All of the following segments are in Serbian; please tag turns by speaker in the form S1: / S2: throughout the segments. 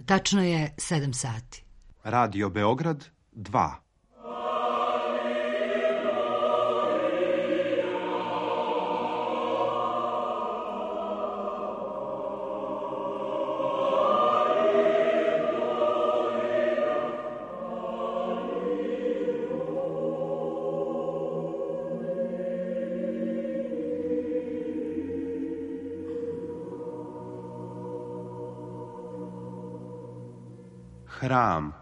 S1: Tačno je 7 sati.
S2: Radio Beograd 2. Hram.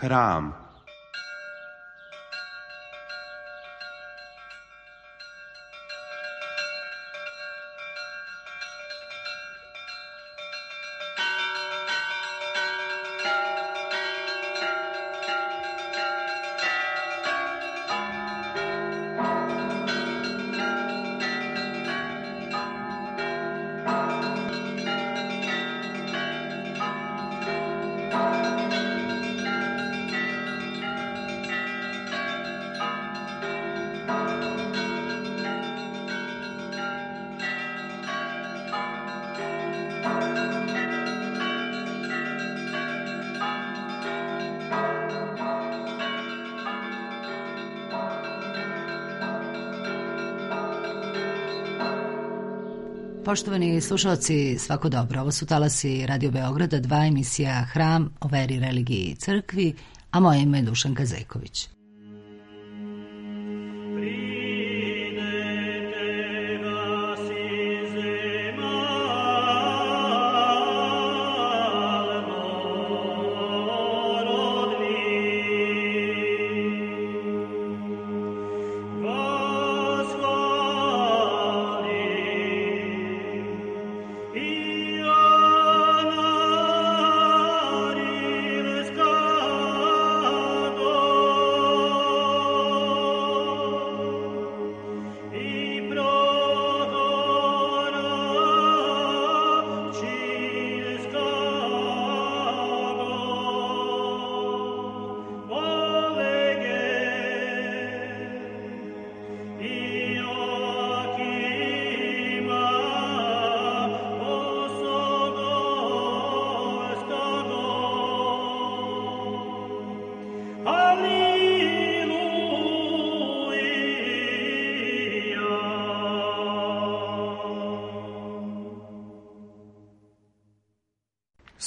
S2: Hram.
S1: Poštovani slušalci, svako dobro. Ovo su talasi Radio Beograda 2, emisija Hram o veri, religiji i crkvi, a moje ime je Dušanka Zeković.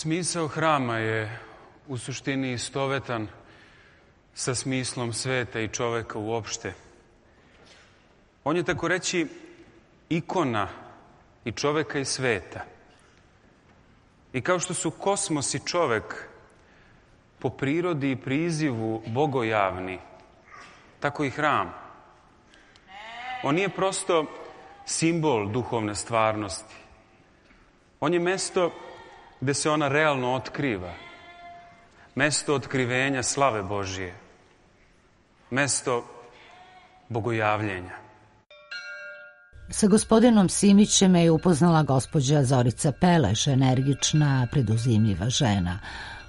S3: Smisao hrama je u suštini istovetan sa smislom sveta i čoveka uopšte. On je tako reći ikona i čoveka i sveta. I kao što su kosmos i čovek po prirodi i prizivu bogojavni, tako i hram. On nije prosto simbol duhovne stvarnosti. On je mesto gde se ona realno otkriva. Mesto otkrivenja slave Božije. Mesto bogojavljenja.
S1: Sa gospodinom Simićem je upoznala gospođa Zorica Peleš, energična, preduzimljiva žena.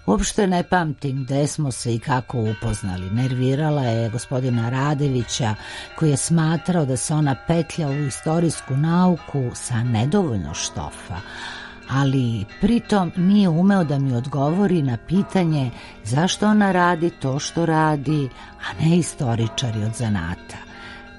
S1: Uopšte ne pamtim gde smo se i kako upoznali. Nervirala je gospodina Radevića, koji je smatrao da se ona petlja u istorijsku nauku sa nedovoljno štofa, ali pritom nije umeo da mi odgovori na pitanje zašto ona radi to što radi, a ne istoričari od zanata.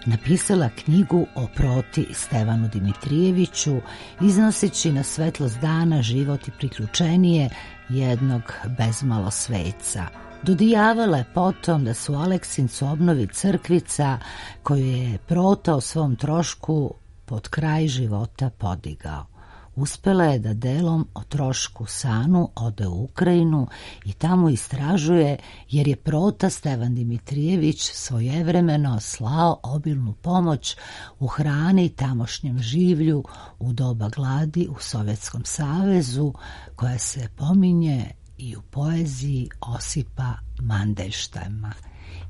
S1: Napisala knjigu o proti Stevanu Dimitrijeviću, iznoseći na svetlost dana život i priključenije jednog bezmalo sveca. Dodijavala je potom da su Aleksincu obnovi crkvica koju je prota o svom trošku pod kraj života podigao. Uspela je da delom o trošku Sanu ode u Ukrajinu i tamo istražuje, jer je prota Stevan Dimitrijević svojevremeno slao obilnu pomoć u hrani tamošnjem življu u doba gladi u Sovjetskom savezu, koja se pominje i u poeziji Osipa Mandelštajma.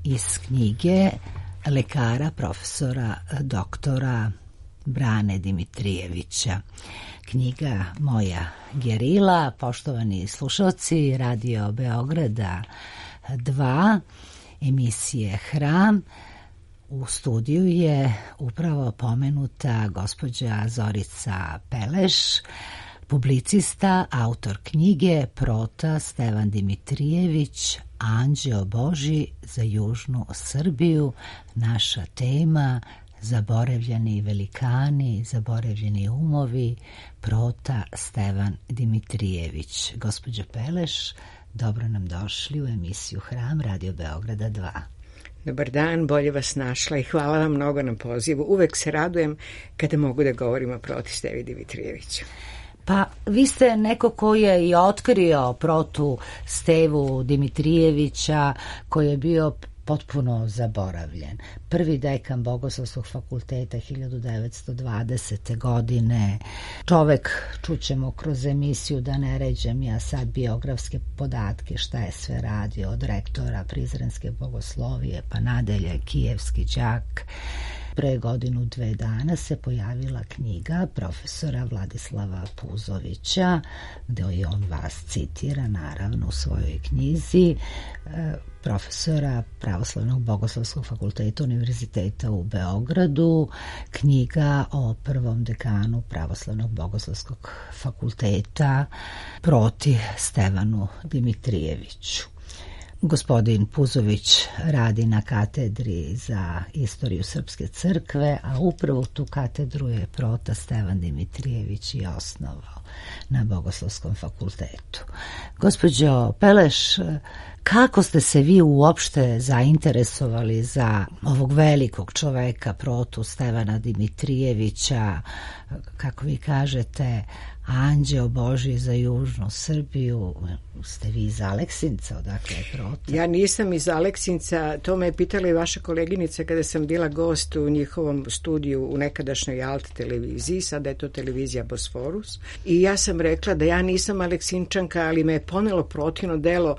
S1: iz knjige lekara profesora doktora Brane Dimitrijevića. Knjiga Moja gerila, poštovani slušalci Radio Beograda 2, emisije Hram. U studiju je upravo pomenuta gospođa Zorica Peleš, publicista, autor knjige Prota Stevan Dimitrijević, Anđeo Božji za južnu Srbiju. Naša tema: zaboravljeni velikani, zaboravljeni umovi, Prota Stevan Dimitrijević. Gospođo Peleš, dobro nam došli u emisiju Hram Radio Beograda 2.
S4: Dobar dan, bolje vas našla i hvala vam mnogo na pozivu. Uvek se radujem kada mogu da govorim o Proti Stevi Dimitrijeviću.
S1: Pa vi ste neko ko je i otkrio Protu Stevu Dimitrijevića, koji je bio potpuno zaboravljen. Prvi dekan Bogoslovskog fakulteta 1920. godine. Čovek, čućemo kroz emisiju, da ne ređem ja sad biografske podatke šta je sve radio, od rektora Prizrenske bogoslovije pa nadalje, kijevski đak. Pre godinu, 2 dana se pojavila knjiga profesora Vladislava Puzovića, gde je on vas citira, naravno, u svojoj knjizi, profesora Pravoslavnog Bogoslovskog fakulteta Univerziteta u Beogradu, knjiga o prvom dekanu Pravoslavnog Bogoslovskog fakulteta Proti Stevanu Dimitrijeviću. Gospodin Puzović radi na katedri za istoriju Srpske crkve, a upravo tu katedru je Prota Stevan Dimitrijević i osnovao na Bogoslovskom fakultetu. Gospođo Peleš, kako ste se vi uopšte zainteresovali za ovog velikog čoveka, Protu Stevana Dimitrijevića, kako vi kažete, Anđeo Božji za južnu Srbiju? Ste vi iz Aleksinca, odakle je Prota?
S4: Ja nisam iz Aleksinca, to me je pitala i vaša koleginica kada sam bila gost u njihovom studiju u nekadašnjoj Alt televiziji, sada je to televizija Bosforus, i ja sam rekla da ja nisam Aleksinčanka, ali me je ponelo Protino delo.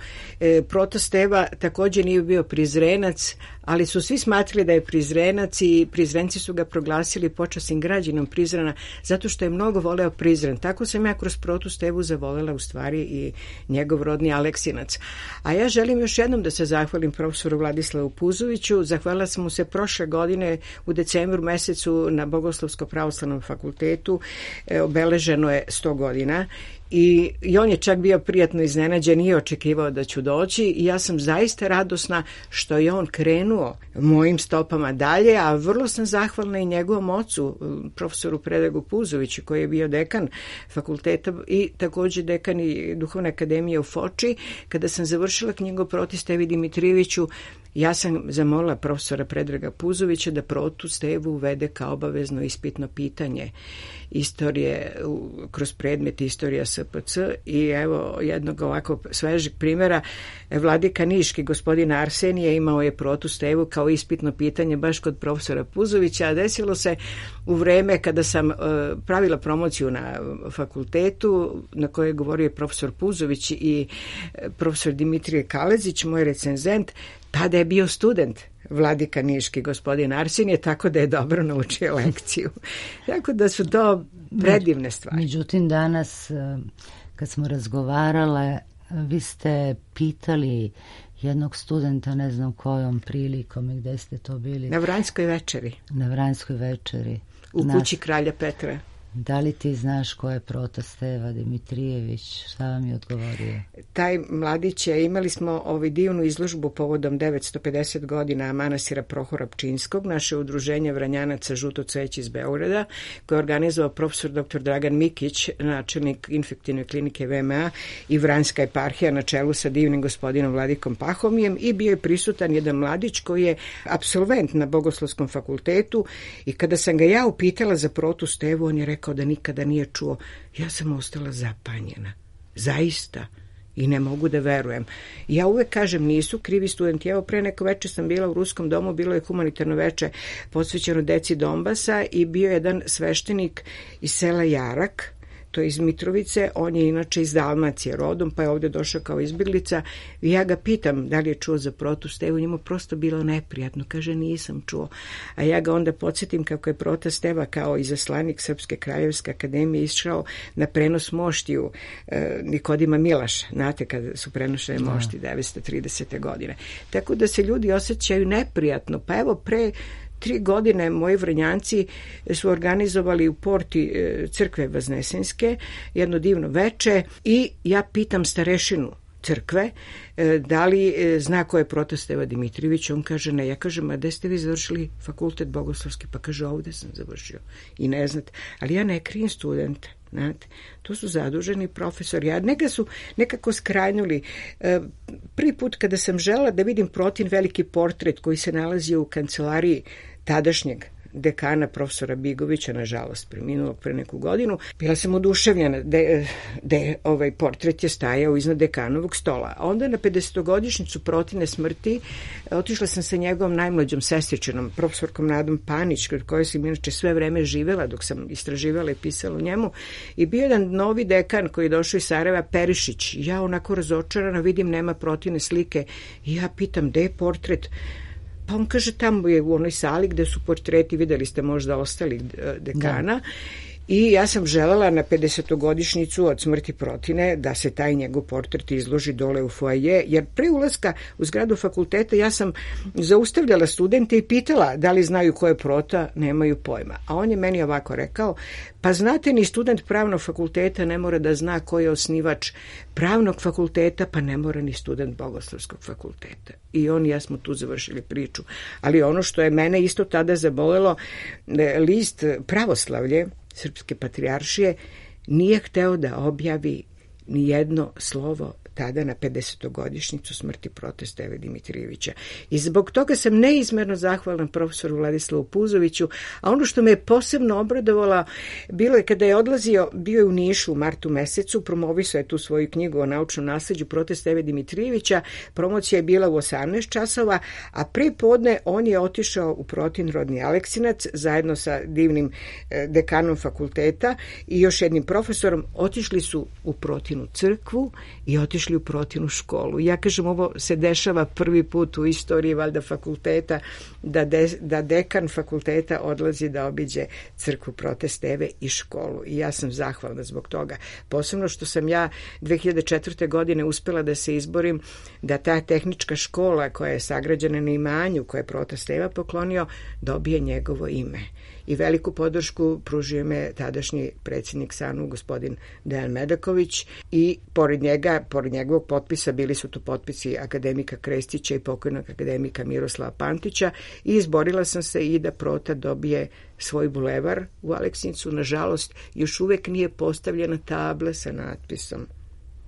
S4: Prota Steva također nije bio Prizrenac, ali su svi smatrali da je Prizrenac i Prizrenci su ga proglasili počasnim građanom Prizrena zato što je mnogo voleo Prizren. Tako sam ja kroz Protu Stevu zavolela u stvari i njegov rodni Aleksinac. A ja želim još jednom da se zahvalim profesoru Vladislavu Puzoviću. Zahvalila sam mu se prošle godine u decembru mesecu na Bogoslovskom pravoslavnom fakultetu. Obeleženo je 100 godina. I on je čak bio prijatno iznenađen, nije očekivao da ću doći i ja sam zaista radosna što je on krenuo mojim stopama dalje, a vrlo sam zahvalna i njegovom ocu, profesoru Predragu Puzoviću, koji je bio dekan fakulteta i također dekan i Duhovne akademije u Foči. Kada sam završila knjigu Proti Stevi Dimitrijeviću, ja sam zamolila profesora Predraga Puzovića da Protu Stevu uvede kao obavezno ispitno pitanje istorije kroz predmet istorija SPC i evo jednog ovako svežeg primjera. Vladika Niški, gospodin Arsenije, imao je Protu Stevu kao ispitno pitanje baš kod profesora Puzovića, a desilo se u vreme kada sam pravila promociju na fakultetu na kojoj je govorio profesor Puzović i profesor Dimitrije Kalezić, moj recenzent. Tada je bio student Vladika Niški, gospodin Arsenije, tako da je dobro naučio lekciju. Tako da su to predivne stvari.
S1: Međutim, danas kad smo razgovarale, vi ste pitali jednog studenta, ne znam kojom prilikom i gde ste to bili.
S4: Na Vranjskoj večeri.
S1: Na Vranjskoj večeri.
S4: U kući kralja Petra.
S1: Da li ti znaš ko je Prota Steva Dimitrijević? Šta vam je odgovorio?
S4: Taj mladić je, imali smo divnu izložbu povodom 950 godina manastira Prohora Pčinskog, naše udruženje Vranjanaca Žuto cveće iz Beograda, koje je organizovao profesor dr. Dragan Mikić, načelnik infektivne klinike VMA i Vranjska eparhija na čelu sa divnim gospodinom Vladikom Pahomijem, i bio je prisutan jedan mladić koji je apsolvent na Bogoslovskom fakultetu i kada sam ga ja upitala za Protu Stevu, on je rekao da nikada nije čuo. Ja sam ostala zapanjena. Zaista. I ne mogu da verujem. Ja uvek kažem, nisu krivi studenti. Evo, pre neko veče sam bila u Ruskom domu, bilo je humanitarno veče posvećeno deci Donbasa i bio je jedan sveštenik iz sela Jarak, to je iz Mitrovice, on je inače iz Dalmacije rodom, pa je ovde došao kao izbjeglica i ja ga pitam da li je čuo za Protu Stevu, njemu prosto bilo neprijatno, kaže nisam čuo, a ja ga onda podsjetim kako je Prota Steva kao izaslanik Srpske kraljevske akademije išao na prenos moštiju Nikodima Milaša, znate kada su prenošene mošti 930. godine. Tako da se ljudi osjećaju neprijatno, pa evo pre 3 godine moji Vrnjanci su organizovali u porti crkve Vaznesenske jedno divno veče i ja pitam starešinu crkve da li zna ko je Prota Steva Dimitrijević. On kaže ne. Ja kažem, a gde ste vi završili fakultet bogoslovski? Pa kaže, ovde sam završio. I ne znate, ali ja ne krijem studente. Znate, to su zaduženi profesori, a neka su nekako skrajnuli. Prvi put kada sam želela da vidim Protin veliki portret koji se nalazio u kancelariji tadašnjeg dekana profesora Bigovića, nažalost preminulog pre neku godinu, bila sam oduševljena da ovaj portret je stajao iznad dekanovog stola. A onda na 50-godišnjicu Protine smrti otišla sam sa njegovom najmlađom sestričenom, profesorkom Nadom Panić, kod koje sam inače sve vreme živela dok sam istraživala i pisala o njemu, i bio jedan novi dekan koji je došao iz Sarajeva, Perišić. Ja onako razočarana vidim nema Protine slike i ja pitam gde je portret. Pa on kaže, tamo je u onoj sali gde su portreti, videli ste možda ostalih dekana. I ja sam želela na 50-godišnjicu od smrti Protine da se taj njegov portret izloži dole u foaje, jer pre ulaska u zgradu fakulteta ja sam zaustavljala studente i pitala da li znaju ko je Prota, nemaju pojma. A on je meni ovako rekao, pa znate, ni student pravnog fakulteta ne mora da zna ko je osnivač pravnog fakulteta, pa ne mora ni student bogoslovskog fakulteta. I on i ja smo tu završili priču. Ali ono što je mene isto tada zabolelo, list Pravoslavlje Srpske patrijaršije nije hteo da objavi ni jedno slovo tada na 50-godišnjicu smrti Prote Steve Dimitrijevića. I zbog toga sam neizmerno zahvalna profesoru Vladislavu Puzoviću, a ono što me posebno obradovalo bilo je kada je odlazio, bio je u Nišu u martu mesecu, promovisao je tu svoju knjigu o naučnom nasleđu Prote Steve Dimitrijevića, promocija je bila u 18 časova, a pre podne on je otišao u Protin rodni Aleksinac zajedno sa divnim dekanom fakulteta i još jednim profesorom. Otišli su u Protinu crkvu i otišli u Protinu školu. Ja kažem, ovo se dešava prvi put u istoriji valjda fakulteta, da dekan fakulteta odlazi da obiđe crkvu Prote Steve i školu. I ja sam zahvalna zbog toga. Posebno što sam ja 2004. godine uspela da se izborim da ta tehnička škola koja je sagrađena na imanju koje je Prota Steva poklonio dobije njegovo ime. I veliku podršku pružio me tadašnji predsjednik SANU, gospodin Dejan Medaković, i pored njegovog potpisa bili su tu potpisi akademika Krestića i pokojnog akademika Miroslava Pantića i izborila sam se i da Prota dobije svoj bulevar u Aleksinicu. Nažalost, još uvek nije postavljena tabla sa natpisom.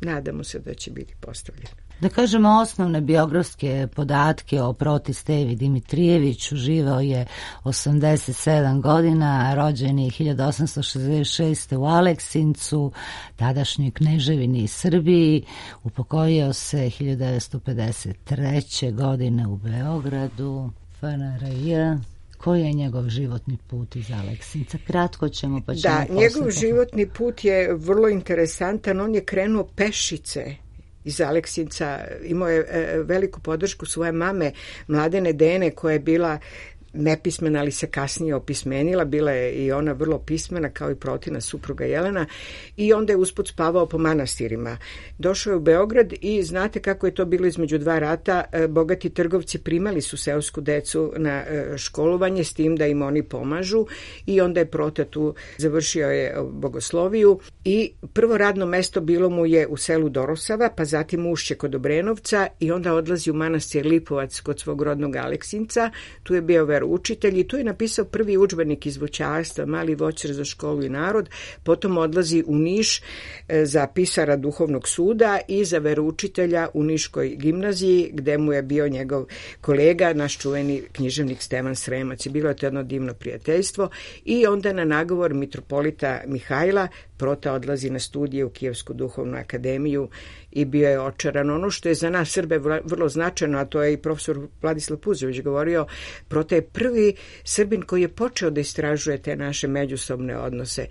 S4: Nadamo se da će biti postavljena.
S1: Da kažemo osnovne biografske podatke o Proti Stevi Dimitrijeviću. Živeo je 87 godina, rođen je 1866. u Aleksincu, tadašnjoj Kneževini Srbiji, upokojio se 1953. godine u Beogradu, FNRJ. Koji je njegov životni put iz Aleksinca? Kratko ćemo pa ćemo
S4: Da, njegov životni put je vrlo interesantan. On je krenuo pešice iz Aleksinca, imao je veliku podršku svoje mame Mladene Dene koja je bila nepismena, ali se kasnije opismenila, bila je i ona vrlo pismena kao i Protina supruga Jelena, i onda je usput spavao po manastirima. Došao je u Beograd i znate kako je to bilo između dva rata, bogati trgovci primali su seosku decu na školovanje s tim da im oni pomažu i onda je Prota tu završio je bogosloviju i prvo radno mesto bilo mu je u selu Dorosava, pa zatim Ušće kod Obrenovca i onda odlazi u manastir Lipovac kod svog rodnog Aleksinca. Tu je bio veroučitelj i tu je napisao prvi udžbenik iz voćarstva, Mali voćar za školu i narod. Potom odlazi u Niš za pisara duhovnog suda i za veroučitelja u Niškoj gimnaziji, gde mu je bio njegov kolega, naš čuveni književnik Stevan Sremac. Bilo je to jedno divno prijateljstvo i onda na nagovor mitropolita Mihajla Prota odlazi na studije u Kijevsku duhovnu akademiju i bio je očaran. Ono što je za nas Srbe vrlo značajno, a to je i profesor Vladislav Puzović govorio, Prota je prvi Srbin koji je počeo da istražuje te naše međusobne odnose.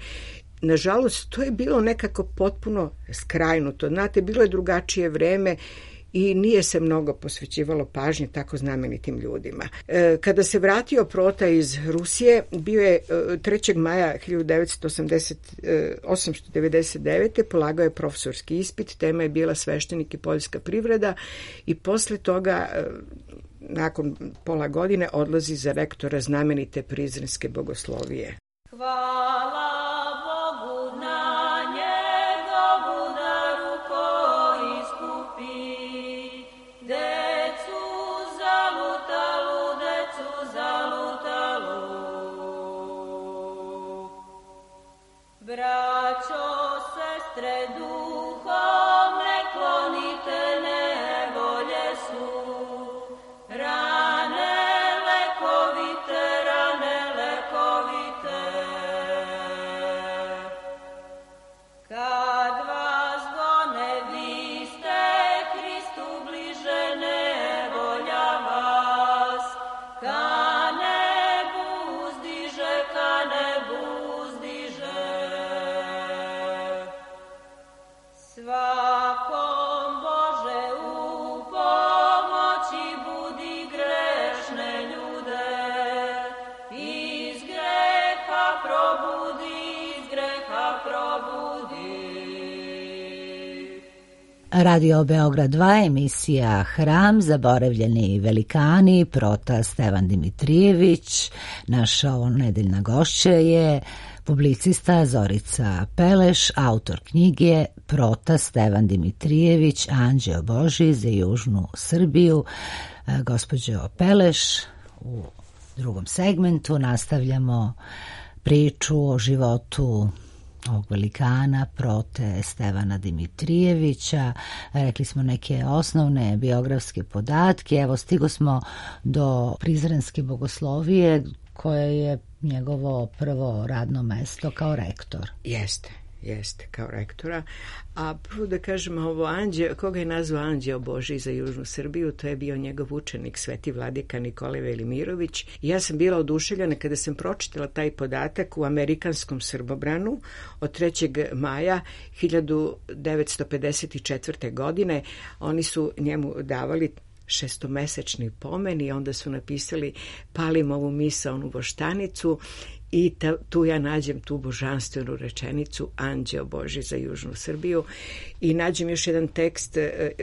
S4: nažalost, to je bilo nekako potpuno skrajnuto. Znate, bilo je drugačije vreme i nije se mnogo posvećivalo pažnje tako znamenitim ljudima. Kada se vratio Prota iz Rusije, bio je 3. maja 1899. polagao je profesorski ispit, tema je bila sveštenik i poljska privreda i posle toga, nakon pola godine, odlazi za rektora znamenite Prizrenske bogoslovije.
S5: Hvala Bogu na njegovu daru koji iskupi decu zalutalu, decu zalutalu. Braćo, sestre, duhom ne klonite, nevolje su rane lekovite, rane lekovite. Kad vas gone, vi ste Hristu bliže, nevolja vas ka nebu uzdiže, ka nebu uzdiže. Svakom Bože u pomoći budi grešne ljude, iz greha probudi, iz greha probudi.
S1: Radio Beograd 2, emisija Hram, zaboravljeni velikani, Prota Stevan Dimitrijević. Naša ovonedeljna gošća je publicista Zorica Peleš, autor knjige Prota Stevan Dimitrijević, Anđeo Božji za južnu Srbiju. Gospođo Peleš, u drugom segmentu nastavljamo priču o životu ovog velikana Prote Stevana Dimitrijevića. Rekli smo neke osnovne biografske podatke. Evo, stigo smo do Prizrenske bogoslovije, koje je njegovo prvo radno mesto kao rektor.
S4: Jeste, kao rektora. A prvo da kažem, ovo koga je nazvao Anđeo Božji za južnu Srbiju, to je bio njegov učenik, sveti vladika Nikolaj Velimirović. I ja sam bila oduševljena kada sam pročitala taj podatak u amerikanskom Srbobranu od 3. maja 1954. godine. Oni su njemu davali šestomesečni pomen i onda su napisali palim ovu misaonu voštanicu i tu ja nađem tu božanstvenu rečenicu Anđeo Božji za južnu Srbiju i nađem još jedan tekst.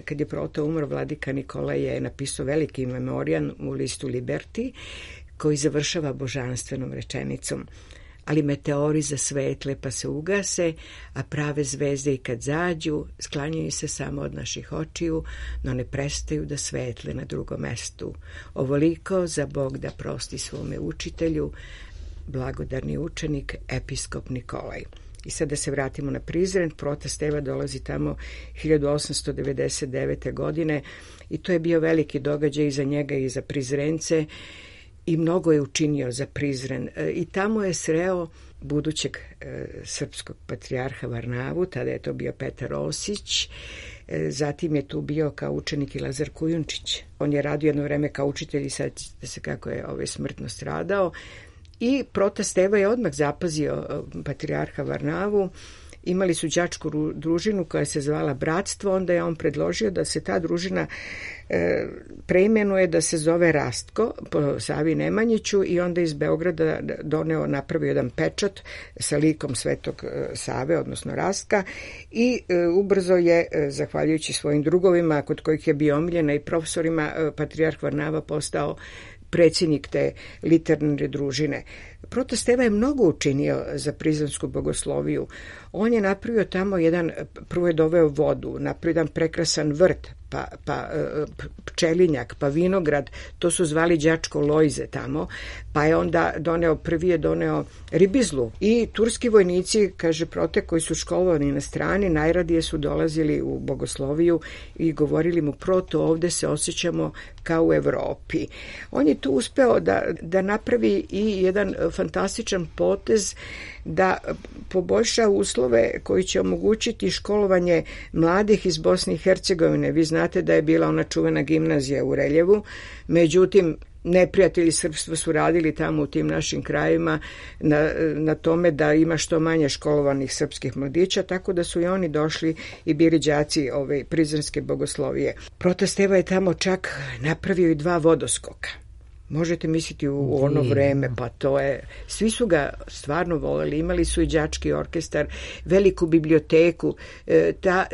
S4: Kad je Prota umro, vladika Nikolaj je napisao veliki memorijan u listu Liberty koji završava božanstvenom rečenicom: ali meteori zasvetle pa se ugase, a prave zvezde i kad zađu, sklanjaju se samo od naših očiju, no ne prestaju da svetle na drugom mestu. Ovoliko za Bog da prosti svome učitelju, blagodarni učenik, episkop Nikolaj. I sad da se vratimo na Prizren. Prota Steva dolazi tamo 1899. godine i to je bio veliki događaj i za njega i za Prizrence i mnogo je učinio za Prizren. I tamo je sreo budućeg srpskog patrijarha Varnavu, tada je to bio Petar Osić, zatim je tu bio kao učenik i Lazar Kujundžić. On je radio jedno vreme kao učitelj i sad se kako je smrtno stradao. I Prota Steva je odmah zapazio patrijarha Varnavu. Imali su đačku družinu koja se zvala Bratstvo, onda je on predložio da se ta družina preimenuje, da se zove Rastko po Savi Nemanjiću i onda iz Beograda napravio jedan pečat sa likom Svetog Save, odnosno Rastka, i ubrzo je, zahvaljujući svojim drugovima kod kojih je bio omiljena i profesorima, patrijarh Varnava postao predsjednik te literarne družine. Prota Steva je mnogo učinio za Prizrensku bogosloviju. On je napravio tamo prvo je doveo vodu, napravio jedan prekrasan vrt, pa pčelinjak, pa vinograd, to su zvali đačko lojze tamo, pa je onda prvi je doneo ribizlu. I turski vojnici, kaže Prote, koji su školovani na strani, najradije su dolazili u bogosloviju i govorili mu: Proto, ovde se osjećamo kao u Evropi. On je tu uspeo da napravi i jedan fantastičan potez da poboljša uslove koji će omogućiti školovanje mladih iz Bosne i Hercegovine. Vi znate da je bila ona čuvena gimnazija u Reljevu, međutim neprijatelji srpstva su radili tamo u tim našim krajevima na tome da ima što manje školovanih srpskih mladića, tako da su i oni došli i bili đaci Prizrenske bogoslovije. Prota Steva je tamo čak napravio i 2 vodoskoka. Možete misliti u ono vreme, pa to je... Svi su ga stvarno voleli, imali su i đački orkestar, veliku biblioteku.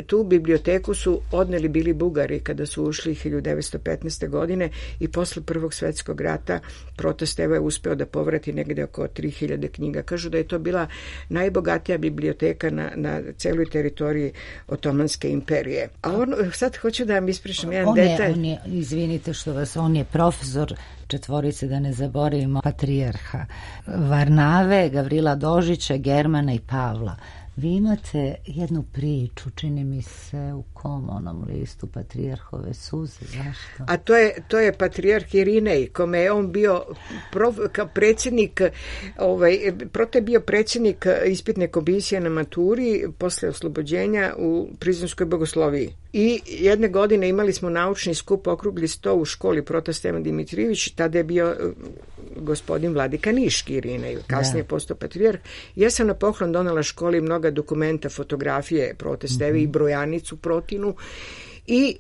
S4: Tu biblioteku su odneli bili Bugari kada su ušli 1915. godine i posle Prvog svetskog rata Prota Steva je uspeo da povrati negde oko 3000 knjiga. Kažu da je to bila najbogatija biblioteka na celoj teritoriji Otomanske imperije. A sad hoću da vam ispričam jedan detalj.
S1: Izvinite što vas, on je profesor 4, da ne zaboravimo, patrijarha Varnave, Gavrila Dožića, Germana i Pavla. Vi imate jednu priču, čini mi se, u kom onom listu, Patrijarhove suze, zašto?
S4: A to je patrijarh Irinej, kome je on bio predsjednik, Prota je bio predsjednik ispitne komisije na maturi posle oslobođenja u Prizrenskoj bogosloviji. I jedne godine imali smo naučni skup, okrugli sto u školi Prota Stevan Dimitrijević, tada je bio gospodin Vladika Niški Irinej, kasnije postao patrijarh. Ja sam na poklon donela školi mnoga dokumenta, fotografije Prote Steve i brojanicu Protinu i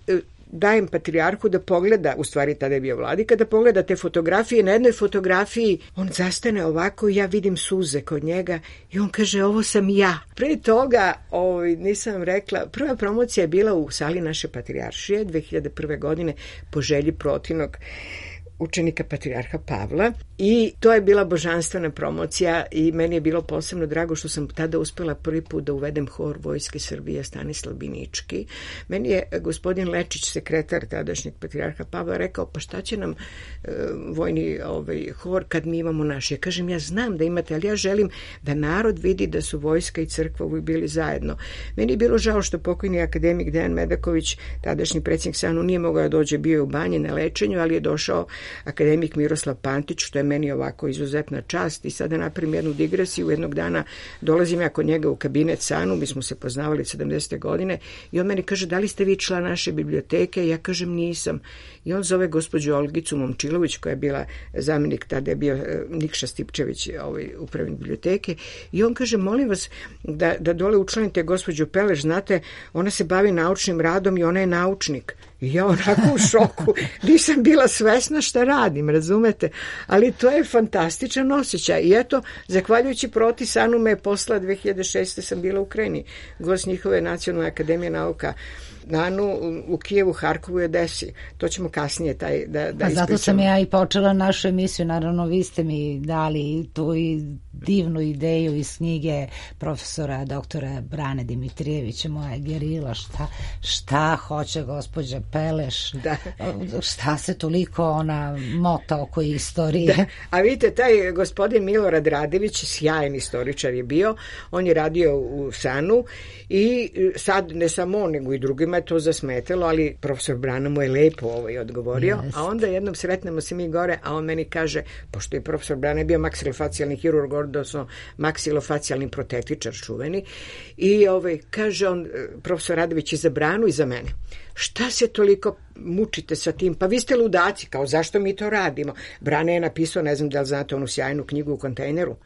S4: dajem patrijarhu da pogleda, u stvari tada je bio vladika, da pogleda te fotografije. Na jednoj fotografiji on zastane ovako i ja vidim suze kod njega i on kaže, ovo sam ja. Pre toga, nisam rekla, prva promocija je bila u sali naše patrijaršije 2001. godine po želji Protinog učenika patrijarha Pavla i to je bila božanstvena promocija i meni je bilo posebno drago što sam tada uspela prvi put da uvedem hor Vojske Srbije Stanislav Binički. Meni je gospodin Lečić, sekretar tadašnjeg patrijarha Pavla, rekao, pa šta će nam vojni hor kad mi imamo naš? Ja kažem, ja znam da imate, ali ja želim da narod vidi da su vojska i crkva uvijek bili zajedno. Meni je bilo žao što pokojni akademik Dejan Medaković, tadašnji predsjednik SANU, nije mogao da dođe, bio je u banji na lečenju, ali je došao akademik Miroslav Pantić, što je meni ovako izuzetna čast. I sada napravim jednu digresiju. Jednog dana dolazim ja kod njega u kabinet SANU, mi smo se poznavali 70. godine i on meni kaže, da li ste vi član naše biblioteke? Ja kažem, nisam. I on zove gospođu Olgicu Momčilović, koja je bila zamjenik, tada je bio Nikša Stipčević, upravnik biblioteke, i on kaže, molim vas da dole učlanite gospođu Peleš, znate, ona se bavi naučnim radom i ona je naučnik. I ja onako u šoku, nisam bila svesna šta radim, razumete? Ali to je fantastičan osjećaj. I eto, zahvaljujući Proti SANU me je posla 2006. sam bila u Ukrajini, gost njihove Nacionalne akademije nauka NANU u Kijevu, Harkovu i Odesi. To ćemo kasnije da ispričamo.
S1: Zato sam ja i počela našu emisiju. Naravno, vi ste mi dali tu i divnu ideju iz knjige profesora doktora Brane Dimitrijevića, Moja gerila, šta hoće gospođa Peleš, šta se toliko ona mota oko istorije.
S4: Da. A vidite, taj gospodin Milorad Radević, sjajan istoričar je bio, on je radio u SANU i sad ne samo on, nego i drugima je to zasmetalo, ali profesor Brana mu je lepo odgovorio. Jest. A onda jednom sretnemo se mi gore, a on meni kaže, pošto je profesor Brana bio maksilofacijalni hirurg, odnosno maksilofacijalni protetičar čuveni, i kaže on, profesor Radović, i za Branu i za mene, šta se toliko mučite sa tim? Pa vi ste ludaci, kao zašto mi to radimo? Brana je napisao, ne znam da li znate onu sjajnu knjigu u kontejneru,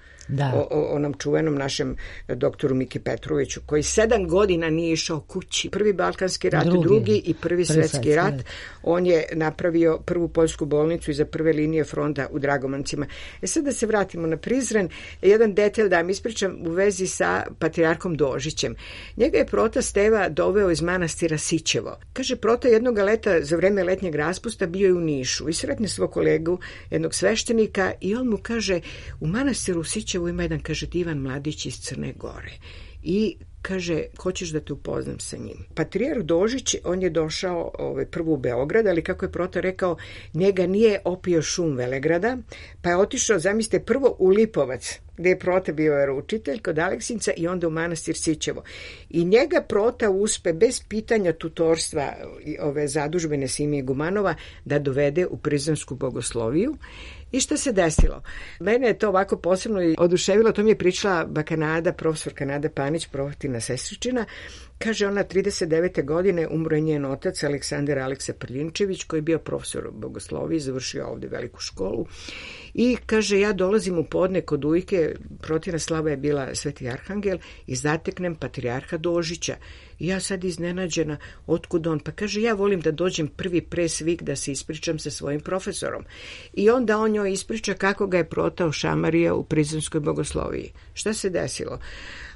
S4: o onom čuvenom našem doktoru Miki Petroviću, koji 7 godina nije išao kući. Prvi Balkanski rat, drugi i prvi svetski rat. On je napravio prvu poljsku bolnicu iza prve linije fronta u Dragomancima. Sad da se vratimo na Prizren, jedan detalj da vam ispričam u vezi sa patrijarhom Dožićem. Njega je Prota Steva doveo iz manastira Sićevo. Kaže, Prota jednog leta za vreme letnjeg raspusta bio je u Nišu i sretne svog kolegu, jednog sveštenika, i on mu kaže, u manastiru Sićevo ima jedan, kaže, divan mladić iz Crne Gore. I kaže, hoćeš da te upoznam sa njim. Patrijarh Dožić, on je došao prvo u Beograd, ali kako je Prota rekao, njega nije opio šum Velegrada, pa je otišao, zamislite, prvo u Lipovac, gde je Prota bio veroučitelj kod Aleksinca i onda u manastir Sićevo. I njega Prota uspe bez pitanja tutorstva ove zadužbine Simije Gumanova da dovede u Prizrensku bogosloviju. I šta se desilo? Mene je to ovako posebno oduševilo, to mi je pričala bakanada, profesorka Nada Panić, provatina sestričina. Kaže, ona 39. godine umro je njen otac Aleksandar Aleksa Prljinčević, koji je bio profesor bogoslovije, završio ovde veliku školu. I kaže, ja dolazim u podne kod ujke, Protina slava je bila Sveti Arhangel, i zateknem patrijarha Dožića. I ja sad iznenađena, otkud on? Pa kaže, ja volim da dođem prvi pre svih da se ispričam sa svojim profesorom. I onda on njoj ispriča kako ga je Prota šamario u Prizrenskoj bogosloviji. Šta se desilo?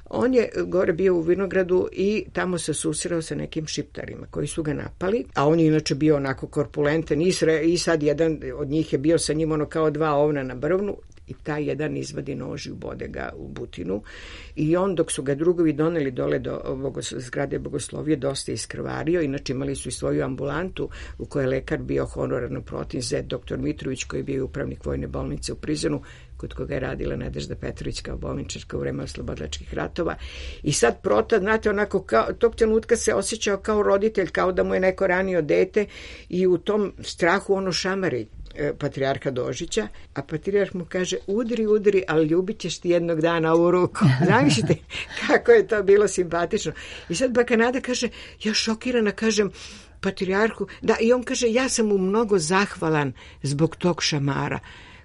S4: On je gore bio u vinogradu i tamo se susreo sa nekim šiptarima koji su ga napali, a on je inače bio onako korpulentan i sad jedan od njih je bio sa njim ono kao dva ovna na brvnu i taj jedan izvadi nož i ubode ga u butinu i on dok su ga drugovi doneli dole do zgrade bogoslovije dosta iskrvario, inače imali su i svoju ambulantu u kojoj je lekar bio honorarno protiv zet dr. Mitrović koji je bio upravnik vojne bolnice u Prizrenu kod koga je radila Nadežda Petrović kao bolničarka u vreme oslobodilačkih ratova. I sad Prota, znate, onako, tog trenutka se osjećao kao roditelj, kao da mu je neko ranio dete i u tom strahu ono šamari patrijarha Dožića, a patrijarh mu kaže, udri, ali ljubit ćeš ti jednog dana ovu ruku. Zamislite kako je to bilo simpatično. I sad bakanada kaže, ja šokirana kažem patrijarhu, da, i on kaže, ja sam mu mnogo zahvalan zbog tog šamara.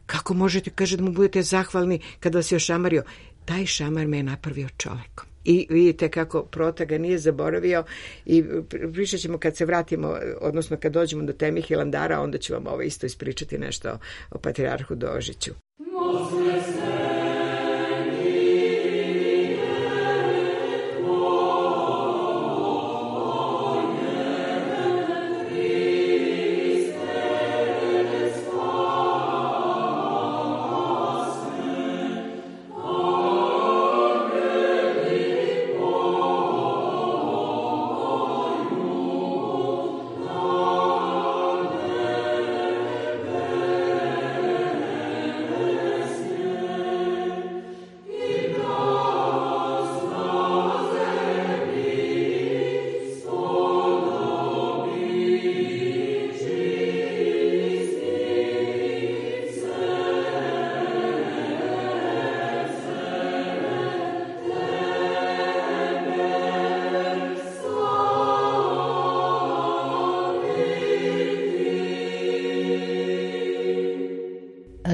S4: Kako možete, kaže, da mu budete zahvalni kada vas je ošamario? Taj šamar me je napravio čovekom. I vidite kako Prota ga nije zaboravio i pričat ćemo kad se vratimo, odnosno kad dođemo do teme Hilandara, onda ću vam ovo isto ispričati nešto o patrijarhu Dožiću.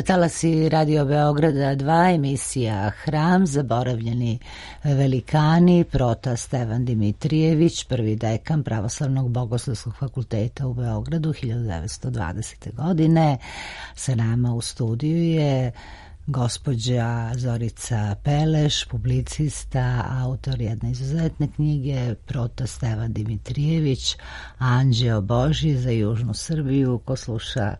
S1: Talasi Radio Beograda 2, emisija Hram, zaboravljeni velikani, Prota Stevan Dimitrijević, prvi dekan Pravoslavnog bogoslovskog fakulteta u Beogradu 1920. godine. Sa nama u studiju je gospođa Zorica Peleš, publicista, autor jedne izuzetne knjige, Prota Stevan Dimitrijević, Anđeo Božji za Južnu Srbiju. Ko sluša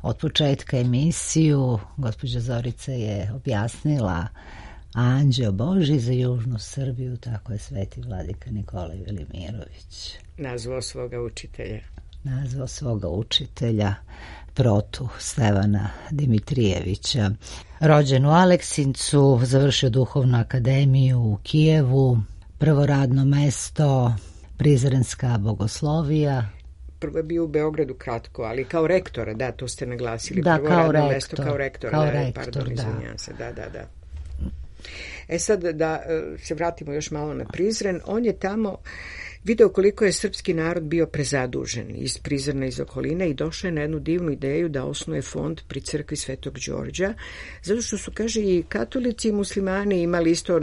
S1: od početka emisiju, gospođa Zorica je objasnila Anđeo Božji za Južnu Srbiju, tako je sveti vladika Nikolaj Velimirović
S4: nazvao svoga učitelja Protu Stevana Dimitrijevića. Rođen u Aleksincu, završio duhovnu akademiju u Kijevu, prvo radno mesto Prizrenska bogoslovija. Prvo je bio u Beogradu kratko, ali kao rektora, da, to ste naglasili.
S1: Da,
S4: prvo
S1: kao
S4: radno
S1: rektor.
S4: Mesto kao rektor, pardon, izvinjam se, da. E sad da se vratimo još malo na Prizren, on je tamo video koliko je srpski narod bio prezadužen iz Prizrena, iz okoline i došao je na jednu divnu ideju da osnuje fond pri crkvi Svetog Đorđa, zato što su, kaže, i katolici i muslimani imali isto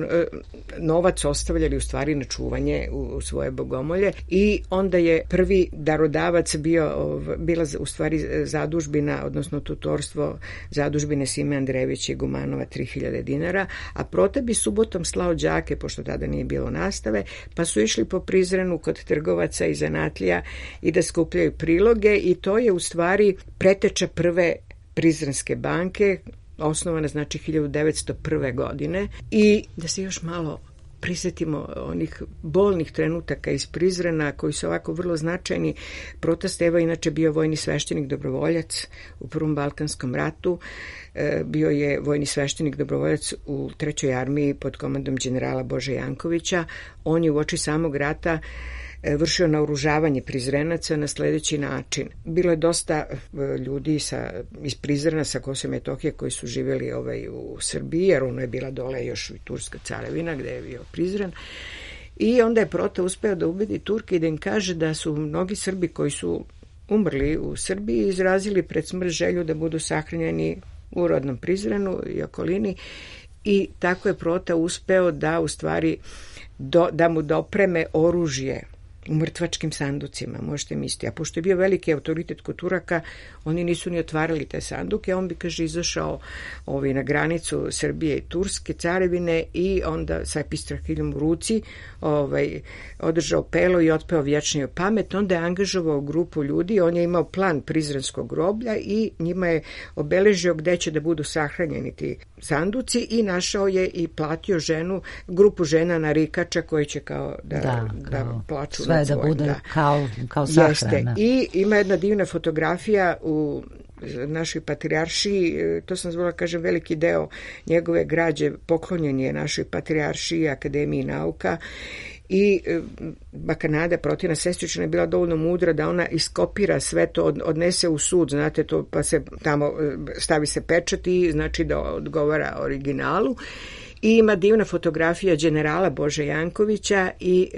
S4: novac ostavljali u stvari na čuvanje u svoje bogomolje i onda je prvi darodavac bila u stvari zadužbina, odnosno tutorstvo zadužbine Sime Andrejevića i Gumanova 3000 dinara, a Prota bi subotom slao đake, pošto tada nije bilo nastave, pa su išli po Prizrenu kod trgovaca i zanatlija i da skupljaju priloge i to je u stvari preteča prve Prizrenske banke, osnovana znači 1901. godine i da se još malo prisjetimo onih bolnih trenutaka iz Prizrena koji su ovako vrlo značajni. Prota Steva inače bio vojni sveštenik dobrovoljac u Prvom Balkanskom ratu, bio je vojni sveštenik dobrovoljac u 3. armiji pod komandom generala Bože Jankovića. On je uoči samog rata vršio naoružavanje Prizrenaca na sledeći način. Bilo je dosta ljudi iz Prizrena sa Kosova i Metohije koji su živjeli u Srbiji, jer ono je bila dole još i Turska carevina gde je bio Prizren. I onda je Prota uspeo da ubedi Turke i da im kaže da su mnogi Srbi koji su umrli u Srbiji izrazili pred smrt želju da budu sahranjeni u rodnom Prizrenu i okolini, i tako je Prota uspeo da u stvari da mu dopreme oružje u mrtvačkim sanducima, možete misliti. A pošto je bio veliki autoritet kod Turaka, oni nisu ni otvarali te sanduke, on bi, kaže, izašao na granicu Srbije i Turske carevine i onda sa epistrahiljom u ruci održao pelo i otpeo vječniju pamet. Onda je angažovao grupu ljudi, on je imao plan Prizrenskog groblja i njima je obeležio gde će da budu sahranjeni ti sanduci i našao je i platio grupu žena narikača koji će da plaču
S1: sve da bude kao sahrana.
S4: Jeste. I ima jedna divna fotografija u našoj patrijaršiji, to sam zvala, kažem, veliki deo njegove građe poklonjen je našoj patrijaršiji, Akademiji nauka, i baka Nada, Protina sestrična, je bila dovoljno mudra da ona iskopira sve to, odnese u sud, znate to, pa se tamo stavi se pečat i znači da odgovara originalu. I ima divna fotografija generala Bože Jankovića i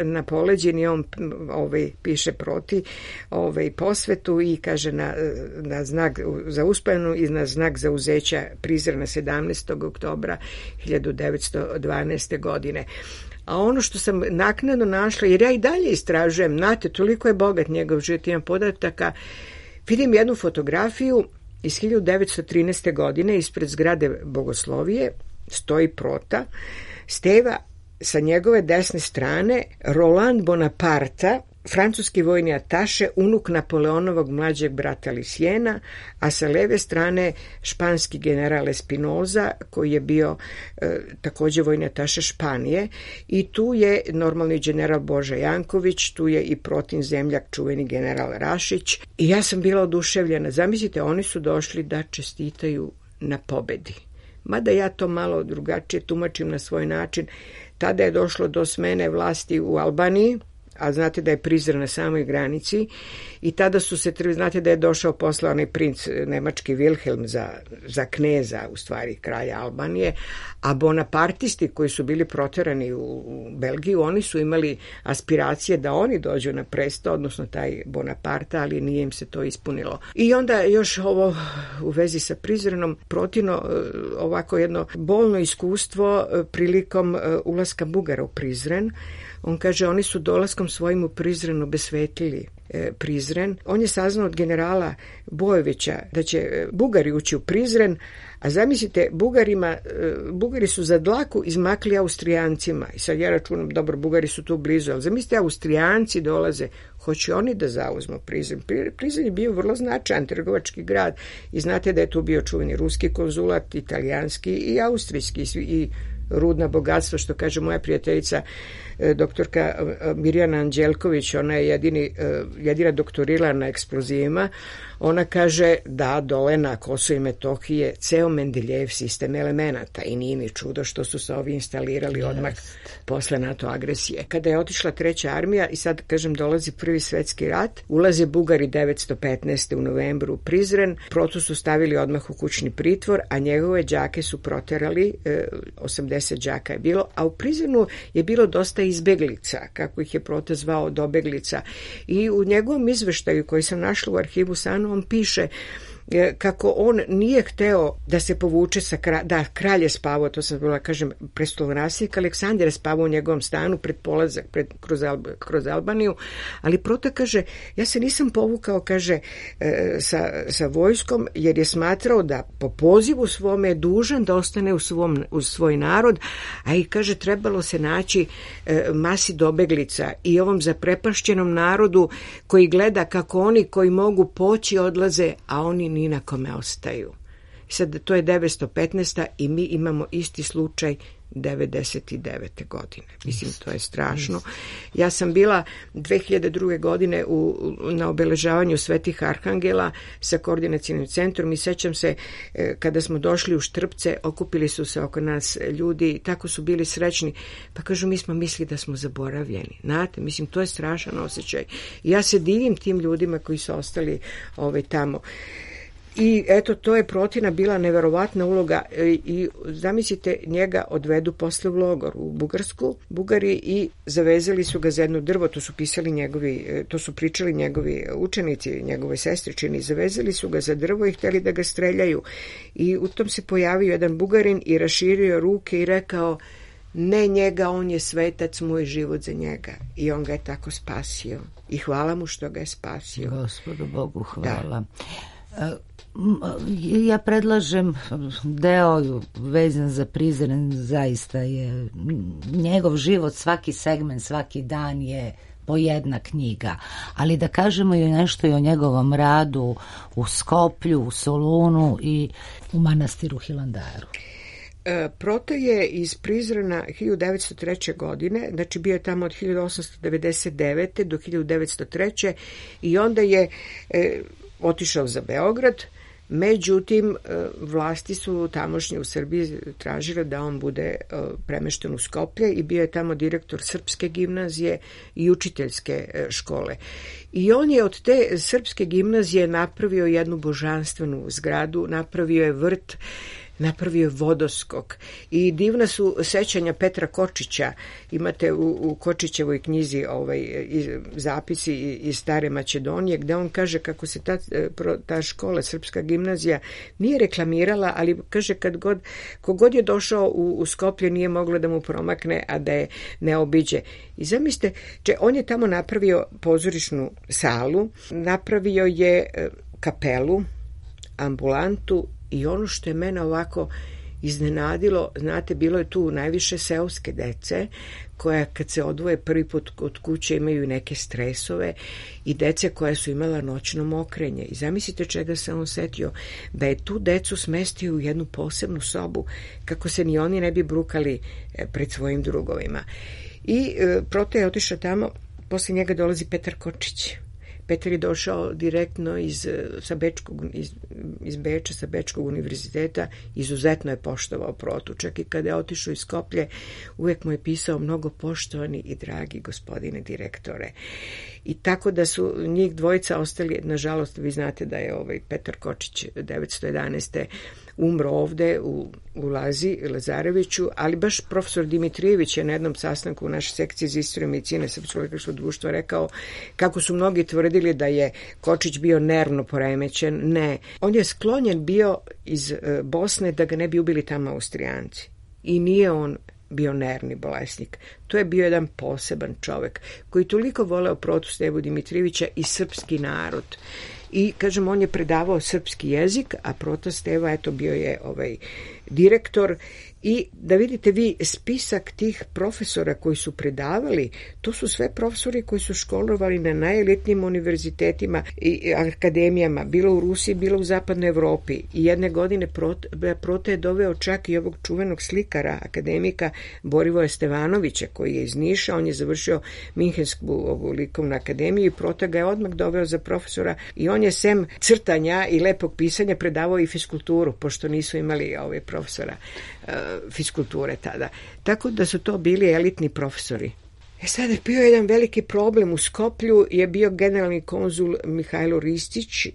S4: na poleđini on piše Proti posvetu i kaže na znak za uspomenu i na znak zauzeća Prizrena 17. oktobra 1912. godine. A ono što sam naknadno našla, jer ja i dalje istražujem, znate, toliko je bogat njegov život, imam podataka, vidim jednu fotografiju iz 1913. godine ispred zgrade Bogoslovije, stoji Prota Steva, sa njegove desne strane Roland Bonaparte, francuski vojni ataše, unuk Napoleonovog mlađeg brata Lisijena, a sa leve strane španski general Espinoza, koji je bio takođe vojni ataše Španije, i tu je normalni general Boža Janković, tu je i Protin zemljak, čuveni general Rašić, i ja sam bila oduševljena. Zamislite, oni su došli da čestitaju na pobedi. Mada ja to malo drugačije tumačim na svoj način. Tada je došlo do smene vlasti u Albaniji, a znate da je Prizren na samoj granici, i tada su se, znate da je došao posle onaj princ nemački Wilhelm za kneza, u stvari kralja Albanije, a bonapartisti koji su bili proterani u Belgiju, oni su imali aspiracije da oni dođu na presto, odnosno taj Bonaparte, ali nije im se to ispunilo. I onda još ovo u vezi sa Prizrenom, Protino ovako jedno bolno iskustvo prilikom ulaska Bugara u Prizren. On kaže, oni su dolaskom svojim u Prizren obesvetili Prizren. On je saznao od generala Bojovića da će Bugari ući u Prizren, a zamislite, Bugari su za dlaku izmakli Austrijancima. I sad ja računam, dobro, Bugari su tu blizu, ali zamislite, Austrijanci dolaze, hoće oni da zauzmu Prizren. Prizren je bio vrlo značajan trgovački grad i znate da je tu bio čuveni ruski konzulat, italijanski i austrijski i rudna bogatstva, što kaže moja prijateljica doktorka Mirjana Anđelković, ona je jedina doktorirala na eksplozivima. Ona kaže da dole na Kosovo i Metohije ceo Mendeljejev sistem elemenata i nije mi čudo što su se ovi instalirali odmah posle NATO agresije. Kada je otišla treća armija i sad, kažem, dolazi Prvi svetski rat, ulaze Bugari 915. u novembru u Prizren, Protu su stavili odmah u kućni pritvor, a njegove đake su proterali, 80 đaka je bilo, a u Prizrenu je bilo dosta izbeglica, kako ih je Prota zvao, dobeglica. I u njegovom izveštaju koji sam našla u arhivu SANU, on piše kako on nije hteo da se povuče da kralj je spavao, to sam bila, kažem, prestolonaslednik Aleksandar je spavao u njegovom stanu pred polazak kroz Albaniju, ali Prota kaže, ja se nisam povukao, kaže, sa vojskom, jer je smatrao da po pozivu svome je dužan da ostane uz svoj narod, a i, kaže, trebalo se naći masi dobeglica i ovom zaprepašćenom narodu koji gleda kako oni koji mogu poći odlaze, a oni ni na kome ostaju. Sad, to je 915. i mi imamo isti slučaj 99. godine. Mislim, to je strašno. Ja sam bila 2002. godine na obeležavanju Svetih Arhangela sa koordinacijnim centrom i sećam se kada smo došli u Štrpce, okupili su se oko nas ljudi, tako su bili srećni, pa kažu mi smo mislili da smo zaboravljeni. Znate, mislim, to je strašan osjećaj. Ja se divim tim ljudima koji su ostali tamo. I eto, to je Protina bila neverovatna uloga i zamislite, njega odvedu posle u logor u Bugarsku, Bugari, i zavezali su ga za jedno drvo, to su pričali njegovi učenici, njegove sestričini, zavezali su ga za drvo i hteli da ga streljaju. I u tom se pojavio jedan Bugarin i raširio ruke i rekao: ne njega, on je svetac, moj život za njega. I on ga je tako spasio. I hvala mu što ga je spasio.
S1: Gospodu Bogu hvala. Da. Ja predlažem deo vezan za Prizren, zaista je njegov život, svaki segment, svaki dan je po jedna knjiga, ali da kažemo i nešto i o njegovom radu u Skoplju, u Solunu i u manastiru Hilandaru.
S4: Proto je iz Prizrena 1903. godine, znači bio je tamo od 1899. do 1903. i onda je otišao za Beograd. Međutim, vlasti su tamošnje u Srbiji tražile da on bude premešten u Skoplje i bio je tamo direktor Srpske gimnazije i učiteljske škole. I on je od te Srpske gimnazije napravio jednu božanstvenu zgradu, napravio je vrt, napravio je vodoskok i divna su sećanja Petra Kočića. Imate u Kočićevoj knjizi zapisi iz Stare Makedonije, gde on kaže kako se ta škola, Srpska gimnazija, nije reklamirala, ali kaže kogod je došao u Skoplje nije moglo da mu promakne, a da je ne obiđe. I zamislite, on je tamo napravio pozorišnu salu, napravio je kapelu, ambulantu, i ono što je mene ovako iznenadilo, znate, bilo je tu najviše seoske dece koja kad se odvoje prvi put od kuće imaju neke stresove i dece koja su imala noćno mokrenje. I zamislite čega se on setio, da je tu decu smestio u jednu posebnu sobu kako se ni oni ne bi brukali pred svojim drugovima. I Proto je otišao tamo, posle njega dolazi Petar Kočić. Petar je došao direktno iz Beča, sa Bečkog univerziteta, izuzetno je poštovao Protu. Čak i kada je otišao iz Skoplje, uvek mu je pisao: mnogo poštovani i dragi gospodine direktore. I tako da su njih dvojica ostali, nažalost, vi znate da je Petar Kočić 1911. umro ovde u Lazareviću, ali baš profesor Dimitrijević je na jednom sastanku u našoj sekciji za istoriju medicine Srpskog lekarskog društva rekao kako su mnogi tvrdili da je Kočić bio nervno poremećen. Ne, on je sklonjen bio iz Bosne da ga ne bi ubili tamo Austrijanci. I nije on bio nervni bolesnik. To je bio jedan poseban čovek koji toliko voleo Protu Stevu Dimitrijevića i srpski narod. I, kažem, on je predavao srpski jezik, a Proto Steva, eto, bio je direktor. I da vidite vi spisak tih profesora koji su predavali, to su sve profesori koji su školovali na najelitnijim univerzitetima i akademijama, bilo u Rusiji, bilo u zapadnoj Evropi. I jedne godine Proto je doveo čak i ovog čuvenog slikara, akademika Borivoja Stevanovića, koji je iz Niša. On je završio Minhensku likovnu akademiju i Proto ga je odmah doveo za profesora i on je sem crtanja i lepog pisanja predavao i fiskulturu, pošto nisu imali profesora fiskulture tada. Tako da su to bili elitni profesori. Sad je bio jedan veliki problem u Skoplju, je bio generalni konzul Mihajlo Ristić.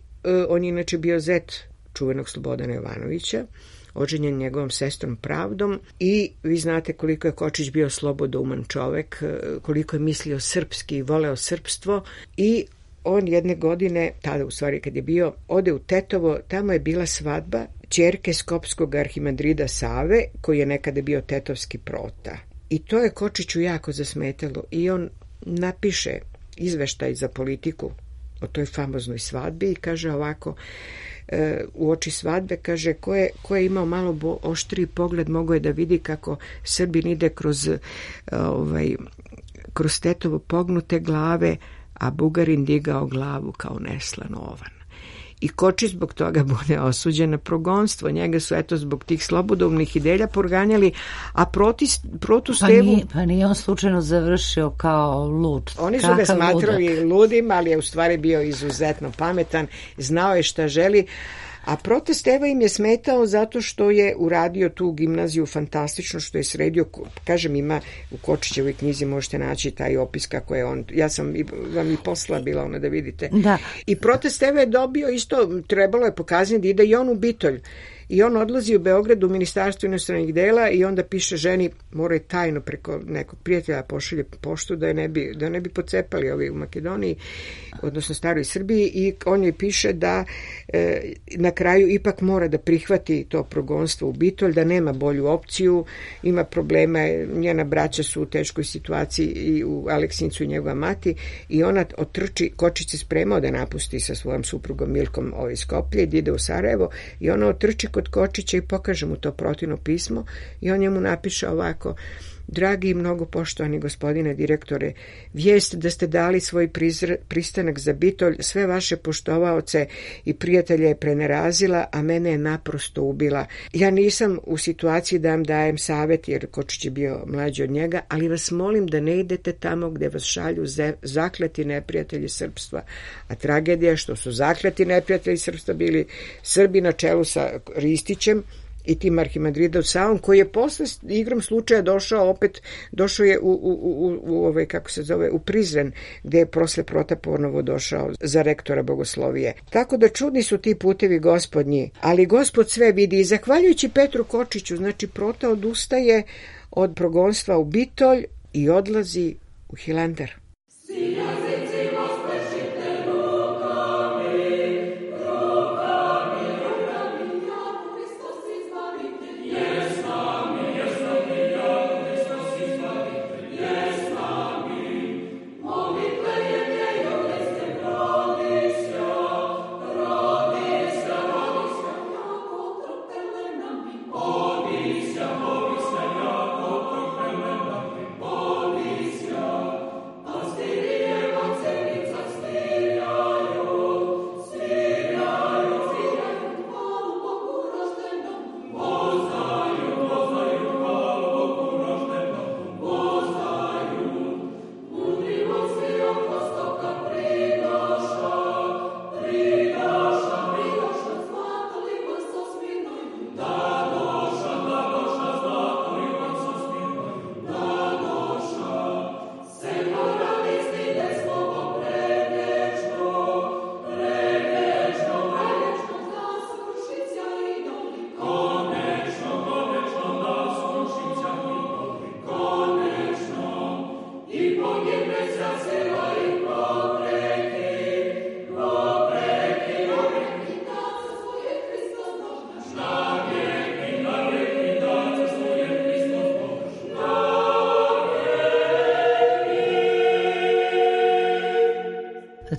S4: On je inače bio zet čuvenog Slobodana Jovanovića, oženjen njegovom sestrom Pravdom, i vi znate koliko je Kočić bio slobodouman čovek, koliko je mislio srpski i voleo srpstvo. I on jedne godine, tada u stvari kad je bio, ode u Tetovo, tamo je bila svadba ćerke skopskog arhimandrida Save, koji je nekada bio tetovski Prota. I to je Kočiću jako zasmetalo i on napiše izveštaj za Politiku o toj famoznoj svadbi i kaže ovako, u oči svadbe, kaže, ko je imao malo oštriji pogled mogao je da vidi kako Srbin ide kroz Tetovo pognute glave, a Bugarin digao glavu kao neslan ovan. i Kočić zbog toga bude osuđen na progonstvo. Njega su eto zbog tih slobodovnih ideja proganjali, a Protu Stevu...
S1: Pa nije on slučajno završio kao lud.
S4: Oni su ga smatrali ludim, ali je u stvari bio izuzetno pametan, znao je šta želi. A Prote Steva im je smetao zato što je uradio tu gimnaziju fantastično, što je sredio, kažem, ima u Kočićevoj knjizi možete naći taj opis kako je on, ja sam vam i poslala bila ona da vidite.
S1: Da.
S4: I Prote Steva je dobio isto, trebalo je pokazati da ide i on u Bitolj. I on odlazi u Beograd u Ministarstvo inostranih dela i onda piše ženi, mora je tajno preko nekog prijatelja pošalje poštu da ne bi pocepali ovi u Makedoniji, odnosno staroj Srbiji, i on je piše da na kraju ipak mora da prihvati to progonstvo u Bitolj, da nema bolju opciju, ima problema, njena braća su u teškoj situaciji i u Aleksincu i njegova mati, i ona otrči, Kočić se spremao da napusti sa svojom suprugom Milkom Skoplje i ide u Sarajevo, i ona otrči kod Kočića i pokaže mu to Protino pismo i on njemu napiše ovako: dragi i mnogo poštovani gospodine direktore, vijest da ste dali svoj pristanak za Bitolj sve vaše poštovaoce i prijatelje je prenerazila, a mene je naprosto ubila. Ja nisam u situaciji da vam dajem savjet, jer Kočić je bio mlađi od njega, ali vas molim da ne idete tamo gde vas šalju zakleti neprijatelji srpstva. A tragedija je što su zakleti neprijatelji srpstva bili Srbi na čelu sa Ristićem i tim Arhimandridom Savom, koji je posle igrom slučaja došao je u Prizren, gde je posle Prota ponovo došao za rektora bogoslovije. Tako da čudni su ti putevi gospodnji, ali Gospod sve vidi i zahvaljujući Petru Kočiću, znači Prota odustaje od progonstva u Bitolj i odlazi u Hilandar.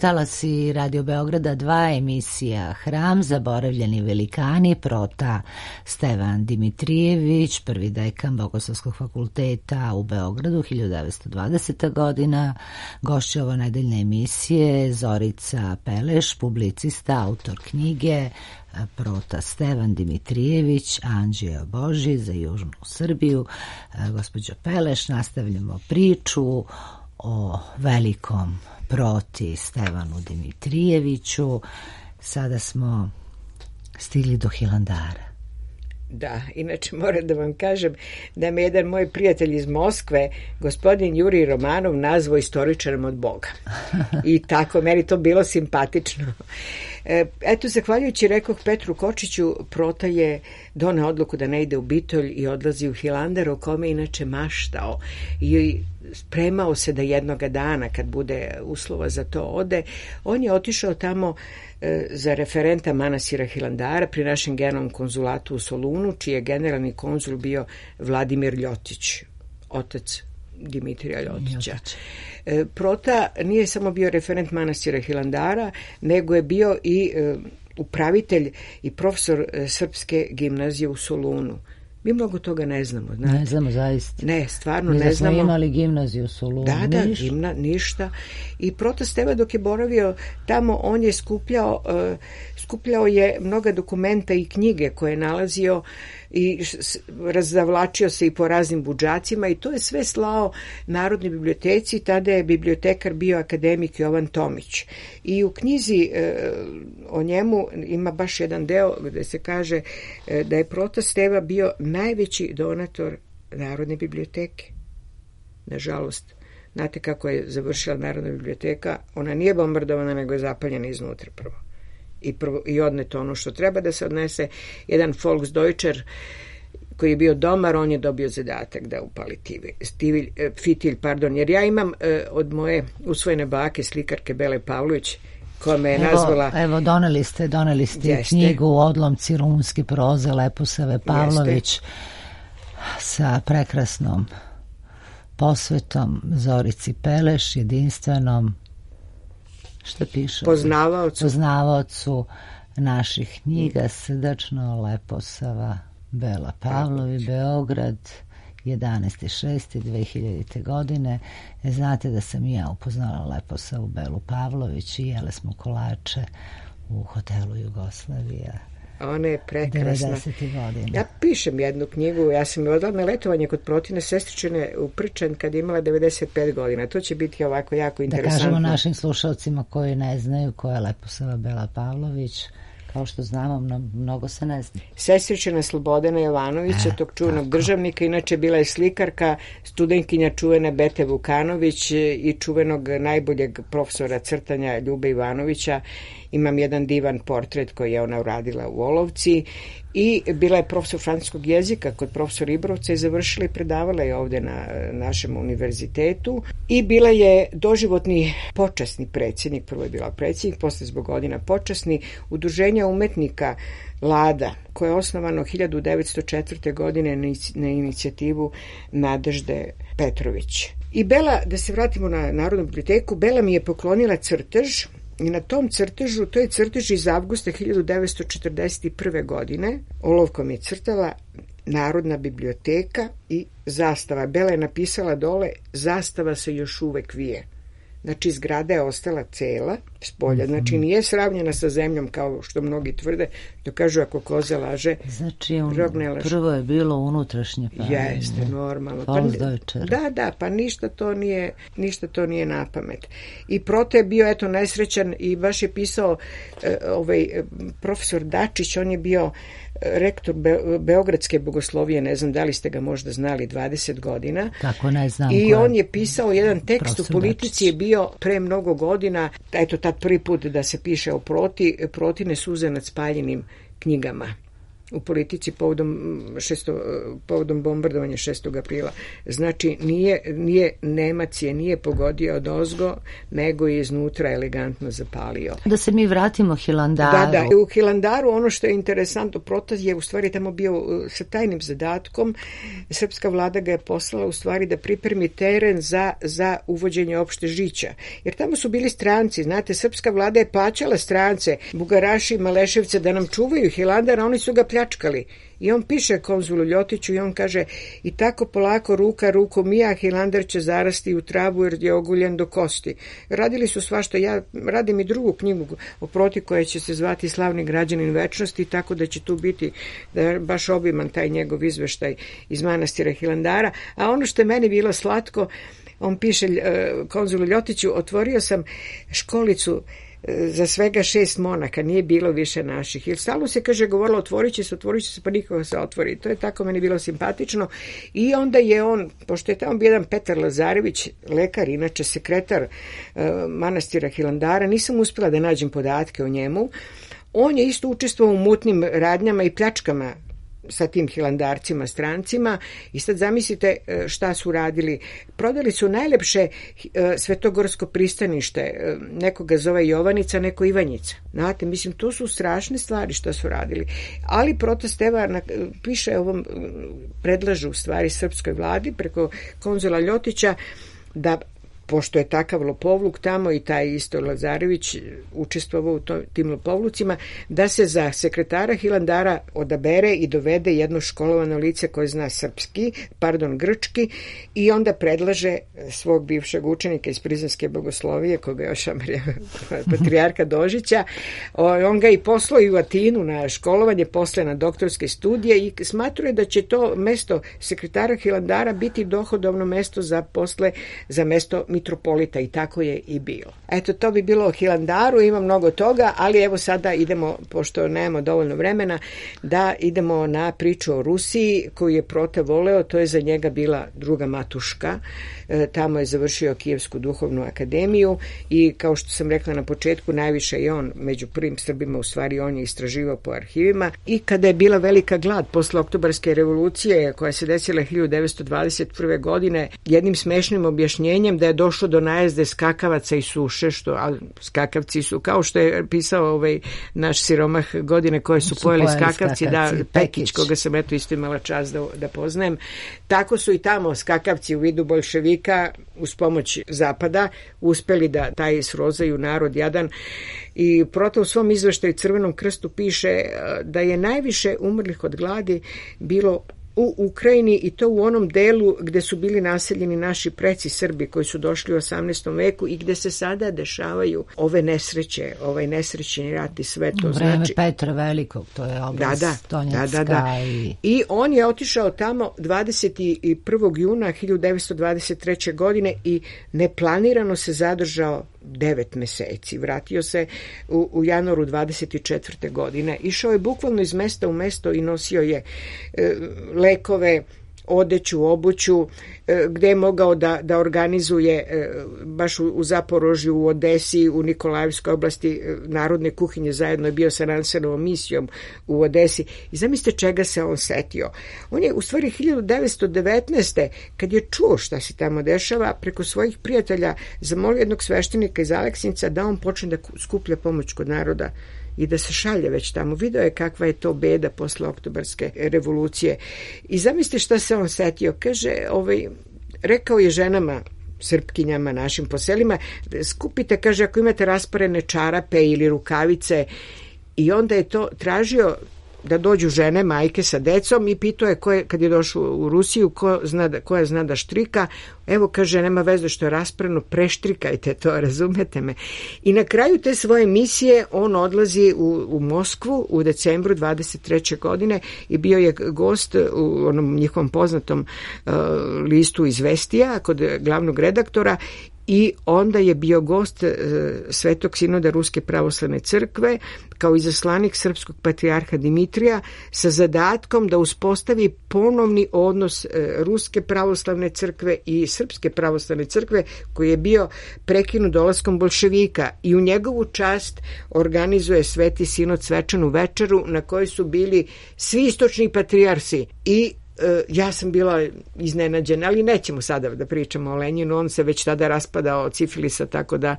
S1: Talasi Radio Beograda 2, emisija Hram, zaboravljeni velikani, Prota Stevan Dimitrijević, prvi dekan Bogoslovskog fakulteta u Beogradu, 1920. godina. Gošća ovo nedeljne emisije Zorica Peleš, publicista, autor knjige Prota Stevan Dimitrijević, Anđeo Boži za Južnu Srbiju. Gospođo Peleš, nastavljamo priču o velikom Proti Stevanu Dimitrijeviću. Sada smo stigli do Hilandara.
S4: Da, inače moram da vam kažem da me jedan moj prijatelj iz Moskve, gospodin Jurij Romanov, nazvao istoričarem od Boga. I tako, meni to bilo simpatično. Eto, zahvaljujući, rekoh, Petru Kočiću, Prota je doneo odluku da ne ide u Bitolj i odlazi u Hilandar, o kome inače maštao i spremao se da jednoga dana, kad bude uslova za to, ode. On je otišao tamo za referenta manastira Hilandara pri našem generalnom konzulatu u Solunu, čiji je generalni konzul bio Vladimir Ljotić, otac Dimitrija Ljotića. Prota nije samo bio referent manastira Hilandara, nego je bio i upravitelj i profesor Srpske gimnazije u Solunu. Mi mnogo toga ne znamo. Znate.
S1: Ne znamo zaista.
S4: Ne, stvarno
S1: Mi
S4: ne znamo.
S1: Mi smo imali gimnaziju u Solunu.
S4: Da, ništa. I Protosteva dok je boravio tamo, on je skupljao je mnoga dokumenta i knjige koje je nalazio i razavlačio se i po raznim budžacima i to je sve slao Narodnoj biblioteci. Tada je bibliotekar bio akademik Jovan Tomić. I u knjizi o njemu ima baš jedan deo gde se kaže da je Protosteva bio najveći donator Narodne biblioteke. Nažalost, znate kako je završila Narodna biblioteka? Ona nije bombardovana, nego je zapaljena iznutra prvo. I odneto ono što treba da se odnese. Jedan Volksdeutscher koji je bio domar, on je dobio zadatak da upali fitilj, jer ja imam od moje usvojene bake, slikarke Bele Pavlović, koja me je nazvala...
S1: Evo, doneli ste knjigu Odlomci rumunske proze Leposave Pavlović sa prekrasnom posvetom Zorici Peleš, jedinstvenom, što piše? Poznavaocu naših knjiga, srdačno Leposava, Bela Pavlovi, Beograd, 11.6.2000. godine. Znate da sam i ja upoznala Leposavu Belu Pavlović i jele smo kolače u hotelu Jugoslavija.
S4: Ona je prekrasna.
S1: 90. godina.
S4: Ja pišem jednu knjigu, ja sam je odala na letovanje kod Protine sestričine u Prčan kad je imala 95 godina. To će biti ovako jako interesantno.
S1: Da kažemo našim slušalcima koji ne znaju ko je Leposava Bela Pavlović, kao što znamo, mnogo se ne zna.
S4: Sestričina Slobodana Jovanovića, tog čuvenog državnika, inače bila je slikarka, studentkinja čuvene Bete Vukanović i čuvenog najboljeg profesora crtanja Ljube Ivanovića. Imam jedan divan portret koji je ona uradila u Olovci i bila je profesor francuskog jezika kod profesora Ibrovca i završila i predavala je ovde na našem univerzitetu i bila je doživotni počasni predsjednik, prvo je bila predsjednik, posle zbog godina počasni Udruženja umetnika Lada, koje je osnovano 1904. godine na inicijativu Nadežde Petrović. I Bela, da se vratimo na Narodnu biblioteku, Bela mi je poklonila crtež. I na tom crtežu, to je crtež iz avgusta 1941. godine, olovkom je crtala Narodna biblioteka i zastava. Bela je napisala dole, zastava se još uvek vije. Znači, zgrada je ostala cela spolja. Znači, nije sravnjena sa zemljom kao što mnogi tvrde. To kažu ako koza laže, rog ne laže.
S1: Prvo je bilo unutrašnje pravljenje.
S4: Jeste, normalno. Da, pa ništa to nije na pamet. I Prote je bio, nesrećan i baš je pisao profesor Dačić, on je bio rektor Beogradske bogoslovije, ne znam da li ste ga možda znali, 20 godina.
S1: Tako, ne znam.
S4: I on je pisao jedan tekst u Politici, je bio pre mnogo godina, eto tad prvi put da se piše o Protine suze nad spaljenim knjigama u Politici povodom bombardovanja 6. aprila. Znači, Nemac je nije pogodio od ozgo, nego je iznutra elegantno zapalio.
S1: Da se mi vratimo Hilandaru.
S4: Da, u Hilandaru ono što je interesantno, Protaz je u stvari tamo bio sa tajnim zadatkom. Srpska vlada ga je poslala u stvari da pripremi teren za uvođenje opšte žića. Jer tamo su bili stranci, znate, srpska vlada je plaćala strance, Bugaraši i Maleševce da nam čuvaju Hilandar, a oni su ga pljačkali. I on piše konzulu Ljotiću i on kaže, i tako polako ruka ruku mija, Hilandar će zarasti u travu jer je oguljen do kosti. Radili su svašta. Ja radim i drugu knjigu o Proti koja će se zvati Slavni građanin večnosti, tako da će tu biti baš obiman taj njegov izveštaj iz manastira Hilandara. A ono što je meni bilo slatko, on piše konzulu Ljotiću, otvorio sam školicu za svega 6 monaka, nije bilo više naših. Jer stalno se, kaže, govorilo otvorit će se, pa nikoga se otvori. To je tako meni bilo simpatično. I onda je on, pošto je tamo bio jedan Petar Lazarević, lekar, inače sekretar manastira Hilandara, nisam uspjela da nađem podatke o njemu. On je isto učestvovao u mutnim radnjama i pljačkama sa tim hilandarcima, strancima i sad zamislite šta su radili. Prodali su najlepše svetogorsko pristanište, nekoga zove Jovanjica, neko Ivanjica. Znate, mislim, to su strašne stvari što su radili. Ali Protosteva piše ovom, predlažu u stvari srpskoj vladi preko konzula Ljotića da pošto je takav lopovluk tamo i taj isto Lazarević učestvovao u tim lopovlucima, da se za sekretara Hilandara odabere i dovede jedno školovano lice koje zna grčki, i onda predlaže svog bivšeg učenika iz Prizrenske bogoslovije, koga je još patrijarha Dožića. On ga i poslao i u Atinu na školovanje, posle na doktorske studije, i smatruje da će to mesto sekretara Hilandara biti dohodovno mesto za mesto mitropolita, i tako je i bilo. Eto, to bi bilo o Hilandaru, ima mnogo toga, ali evo sada idemo, pošto nemamo dovoljno vremena, da idemo na priču o Rusiji koju je Prota voleo. To je za njega bila druga matuška. Tamo je završio Kijevsku duhovnu akademiju i, kao što sam rekla na početku, najviše je on među prvim Srbima, u stvari on je istraživao po arhivima. I kada je bila velika glad posle Oktobarske revolucije koja se desila 1921. godine, jednim smešnim objašnjenjem da je došlo do najezde skakavaca i suše, ali skakavci su, kao što je pisao naš siromah Godine koje su pojeli skakavci, da, Pekić, koga sam eto isto imala čast da poznajem, tako su i tamo skakavci u vidu boljševika uz pomoć Zapada uspeli da taj srozaju narod jadan. I Prota u svom izveštaju Crvenom krstu piše da je najviše umrlih od gladi bilo u Ukrajini, i to u onom delu gde su bili naseljeni naši preci Srbi koji su došli u 18. veku i gde se sada dešavaju ove nesreće, ovaj nesrećni rat i sve to.
S1: U vreme Petra Velikog, to je oblast Donjecka.
S4: I on je otišao tamo 21. juna 1923. godine i neplanirano se zadržao 9 meseci. Vratio se u januaru 24. godine. Išao je bukvalno iz mesta u mesto i nosio je lekove, odeću, obuću, gde je mogao da organizuje baš u Zaporožju, u Odesi, u Nikolajevskoj oblasti narodne kuhinje, zajedno je bio sa Ransenovom misijom u Odesi. I zamislite čega se on setio. On je u stvari 1919. kad je čuo šta se tamo dešava, preko svojih prijatelja zamolio jednog sveštenika iz Aleksinca da on počne da skuplja pomoć kod naroda i da se šalje već tamo. Video je kakva je to beda posle Oktobarske revolucije. I zamislite šta se on setio. Kaže, rekao je ženama, Srpkinjama, našim po selima, skupite, kaže, ako imate rasparene čarape ili rukavice, i onda je to tražio da dođu žene, majke sa decom, i pitao je kad je došao u Rusiju koja zna da štrika. Evo, kaže, nema veze što je rasprano, preštrikajte to, razumete me. I na kraju te svoje misije on odlazi u Moskvu u decembru 23. godine i bio je gost u onom njihovom poznatom listu Izvestija kod glavnog redaktora. I onda je bio gost Svetog sinoda Ruske pravoslavne crkve kao izaslanik srpskog patrijarha Dimitrija sa zadatkom da uspostavi ponovni odnos Ruske pravoslavne crkve i Srpske pravoslavne crkve koji je bio prekinut dolaskom bolševika, i u njegovu čast organizuje Sveti sinod svečanu večeru na kojoj su bili svi istočni patrijarsi. I ja sam bila iznenađena, ali nećemo sada da pričamo o Lenjinu, on se već tada raspadao od sifilisa, tako da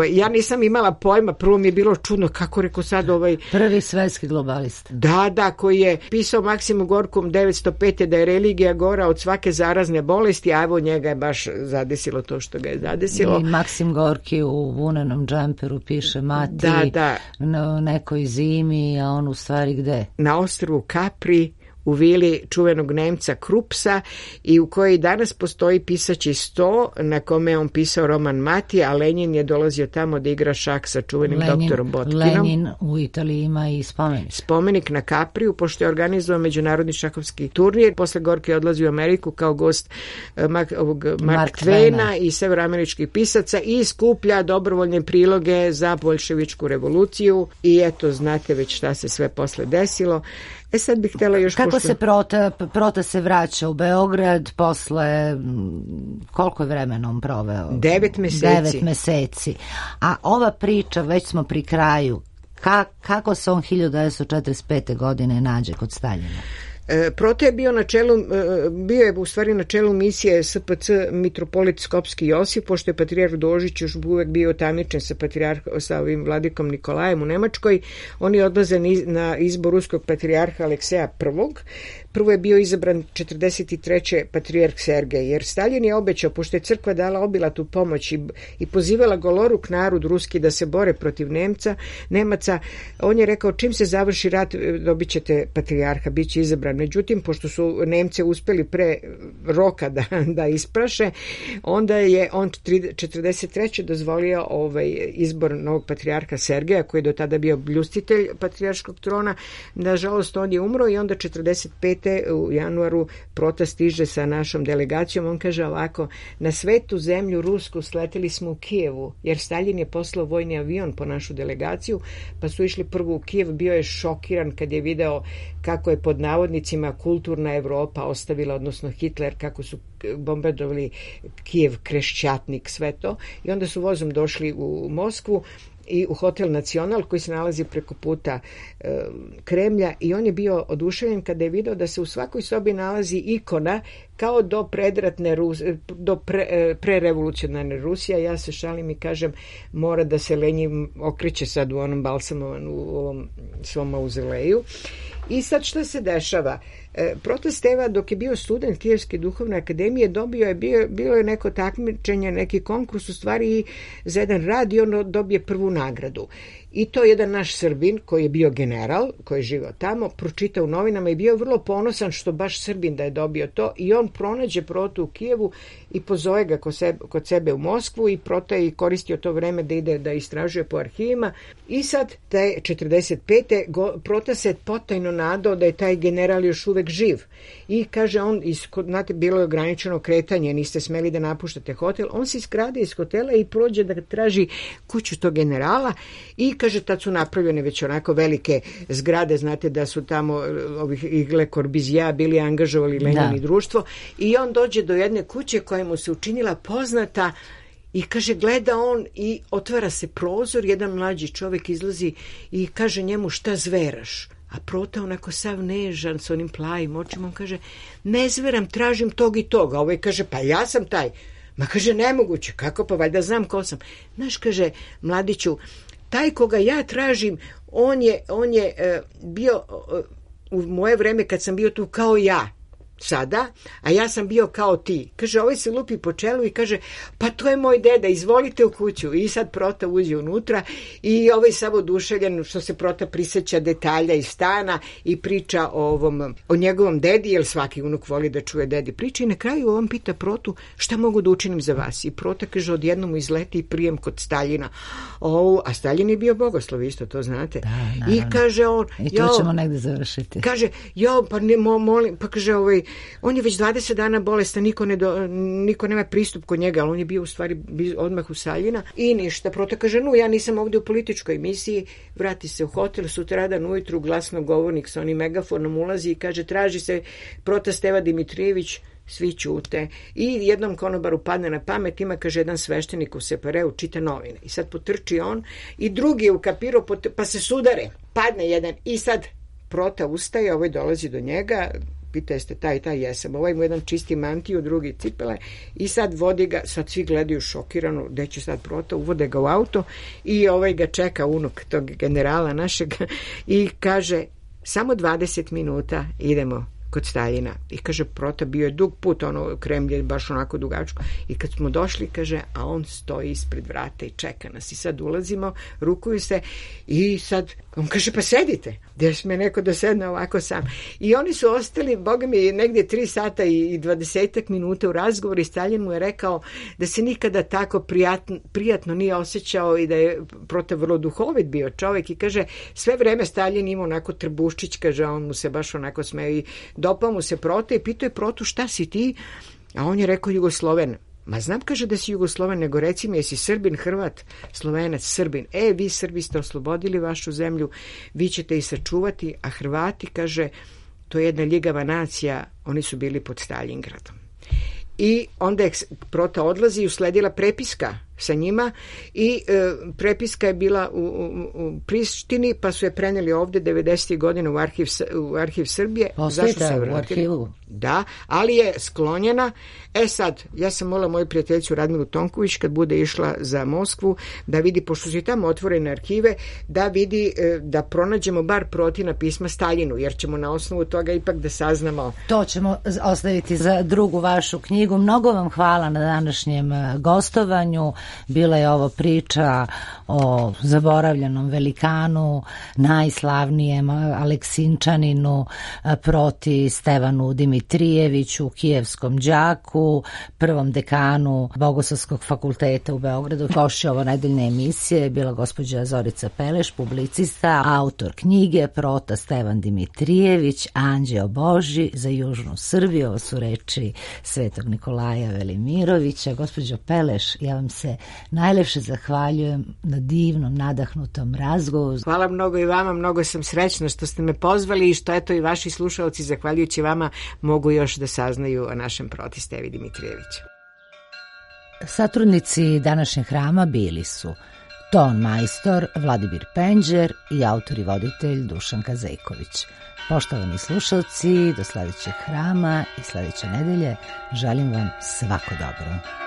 S4: ja nisam imala pojma, prvo mi je bilo čudno kako rekao sad
S1: prvi svetski globalista.
S4: Da, koji je pisao Maksimu Gorkom 905. da je religija gora od svake zarazne bolesti, a evo njega je baš zadesilo to što ga je zadesilo.
S1: I Maksim Gorki u vunenom džemperu piše mati na nekoj zimi, a on u stvari gde?
S4: Na ostrvu Capri, u vili čuvenog Nemca Krupsa, i u kojoj danas postoji pisaći sto na kome je on pisao roman Mati, a Lenjin je dolazio tamo da igra šah sa čuvenim doktorom Botkinom.
S1: Lenjin u Italiji ima i spomenik.
S4: Spomenik na Kapriju, pošto je organizovao međunarodni šahovski turnir. Posle Gorki odlazi u Ameriku kao gost Mark Twaina i severoameričkih pisaca i skuplja dobrovoljne priloge za boljševičku revoluciju. I eto, znate već šta se sve posle desilo. Sad bih htjela još...
S1: Kako se Prota se vraća u Beograd posle, koliko je vremena on proveo?
S4: 9 meseci.
S1: 9 meseci. A ova priča, već smo pri kraju, kako se on 1945. godine nađe kod Staljina?
S4: Prota je bio je u stvari na čelu misije SPC mitropolit Skopski Josif, pošto je patrijarh Dožić još uvek bio tamničen sa ovim vladikom Nikolajem u Nemačkoj. Oni odlaze na izbor ruskog patrijarha Alekseja I. Prvo je bio izabran 43. patrijarh Sergej, jer Stalin je obećao, pošto je crkva dala obilatu pomoć i pozivala goloruk narod ruski da se bore protiv Nemaca, on je rekao čim se završi rat dobit ćete patrijarha, bit će izabran. Međutim, pošto su Nemce uspeli pre roka da ispraše, onda je on 43. dozvolio izbor novog patrijarha Sergeja, koji je do tada bio bljustitelj patrijarškog trona. Nažalost, on je umro i onda 45. u januaru Prota stiže sa našom delegacijom. On kaže ovako: na svetu zemlju rusku sleteli smo u Kijevu, jer Stalin je poslao vojni avion po našu delegaciju, pa su išli prvo u Kijev. Bio je šokiran kad je video kako je pod navodnicima kulturna Evropa ostavila, odnosno Hitler, kako su bombardovali Kijev, Krešćatnik, sve to. I onda su vozom došli u Moskvu i u Hotel Nacional koji se nalazi preko puta Kremlja, i on je bio oduševljen kada je video da se u svakoj sobi nalazi ikona kao do predratne prerevolucionarne Rusije. Ja se šalim i kažem, mora da se Lenji okreće sad u onom balsamovan u ovom svom mauzoleju. I sad šta se dešava? Prota Steva, dok je bio student Kijevske duhovne akademije, bilo je neko takmičenje, neki konkurs u stvari i za jedan rad, i on dobije prvu nagradu. I to jedan naš Srbin koji je bio general, koji je živao tamo, pročitao u novinama i bio vrlo ponosan što baš Srbin da je dobio to, i on pronađe Protu u Kijevu i pozove ga kod sebe u Moskvu, i Prota je koristio to vreme da ide da istražuje po arhivima. I sad, taj 45. Prota se potajno nadao da je taj general još uvek živ. I kaže on, znate, bilo je ograničeno kretanje, niste smeli da napuštate hotel. On se iskrade iz hotela i prođe da traži kuću tog generala, i kaže, tad su napravljene već onako velike zgrade, znate da su tamo ovih Igle Korbizija bili angažovali Lenin i društvo, i on dođe do jedne kuće koja mu se učinila poznata. I kaže, gleda on i otvara se prozor, jedan mlađi čovjek izlazi i kaže njemu, šta zveraš? A Prota onako sav nežan s onim plavim očima, on kaže, ne zveram, tražim tog i toga. Ovaj kaže, pa ja sam taj. Ma kaže, nemoguće, kako, pa valjda znam ko sam. Znaš, kaže, mladiću, taj koga ja tražim, on je bio u moje vreme kad sam bio tu kao ja sada, a ja sam bio kao ti. Kaže, ovaj se lupi po čelu i kaže, pa to je moj deda, izvolite u kuću. I sad Prota uđe unutra i ovaj samo oduševljen što se Prota prisjeća detalja iz stana i priča o njegovom dedi, jer svaki unuk voli da čuje dedi priče, i na kraju on pita Protu, šta mogu da učinim za vas? I Prota kaže, odjednom izleti i prijem kod Staljina. A Staljin je bio bogoslov, isto to znate. Da, i kaže on,
S1: i tu ćemo negde završiti.
S4: Kaže, pa ne molim, pa kaže, on je već 20 dana bolestan, niko nema pristup kod njega, ali on je bio u stvari odmah u Staljina. I ništa, Prota kaže, ja nisam ovdje u političkoj misiji, vrati se u hotel, sutradan ujutru glasnogovornik sa onim megafonom ulazi i kaže, traži se Prota Steva Dimitrijević. Svi ćute. I jednom konobaru padne na pamet, ima, kaže, jedan sveštenik u Separeu, čita novine. I sad potrči on i drugi je ukapirao, pa se sudare. Padne jedan i sad Prota ustaje, ovaj dolazi do njega, pita, jeste taj i taj, jesam. Ovaj mu jedan čisti mantiju, drugi cipele, i sad vodi ga, sad svi gledaju šokirano, gde će sad Prota, uvode ga u auto i ovaj ga čeka unuk tog generala našeg i kaže, samo 20 minuta idemo kod Staljina. I kaže, Prota, bio je dug put, Kremlj je baš onako dugačko, i kad smo došli, kaže, a on stoji ispred vrata i čeka nas, i sad ulazimo, rukuju se, i sad on kaže, pa sedite, gdje sme neko da sedne ovako sam. I oni su ostali, boga mi, negdje 3 sata i 20 minuta u razgovoru, i Staljin mu je rekao da se nikada tako prijatno nije osjećao i da je Prota vrlo duhovit bio čovjek, i kaže, sve vreme Staljin ima onako trbuščić, kaže, on mu se baš onako smeje, i dopao mu se Prota i pitao je Protu, šta si ti? A on je rekao, Jugosloven. Ma znam, kaže, da si Jugosloven, nego reci mi, jesi Srbin, Hrvat, Slovenac, Srbin. Vi Srbi ste oslobodili vašu zemlju, vi ćete i sačuvati, a Hrvati, kaže, to je jedna ljigava nacija, oni su bili pod Staljingradom. I onda je Prota odlazi i usledila prepiska sa njima i prepiska je bila u Prištini, pa su je preneli ovde 90. godina u arhiv Srbije.
S1: Ostajte u arhivu.
S4: Da, ali je sklonjena. Sad, ja sam molila moju prijateljicu Radmilu Tonković kad bude išla za Moskvu da vidi, pošto su i tamo otvorene arhive, da vidi, da pronađemo bar Protina pisma Staljinu, jer ćemo na osnovu toga ipak da saznamo.
S1: To ćemo ostaviti za drugu vašu knjigu. Mnogo vam hvala na današnjem gostovanju. Bila je ovo priča o zaboravljenom velikanu, najslavnijem Aleksinčaninu proti Stevanu Dimitrijeviću, kijevskom đaku, prvom dekanu Bogoslovskog fakulteta u Beogradu. Gošća ovo nedeljne emisije je bila gospođa Zorica Peleš, publicista, autor knjige Prota Stevan Dimitrijević, Anđeo Božji za južnu Srbiju. Ovo su reči Svetog Nikolaja Velimirovića. Gospođo Peleš, ja vam se najlepše zahvaljujem na divnom, nadahnutom razgovoru.
S4: Hvala mnogo i vama, mnogo sam srećna što ste me pozvali i što eto i vaši slušalci, zahvaljujući vama, mogu još da saznaju o našem Proti Stevi Dimitrijeviću.
S1: Satrudnici današnjeg hrama bili su ton majstor Vladimir Penđer i autor i voditelj Dušan Kazejković. Poštovani slušalci, do sledećeg hrama i sledeće nedelje želim vam svako dobro.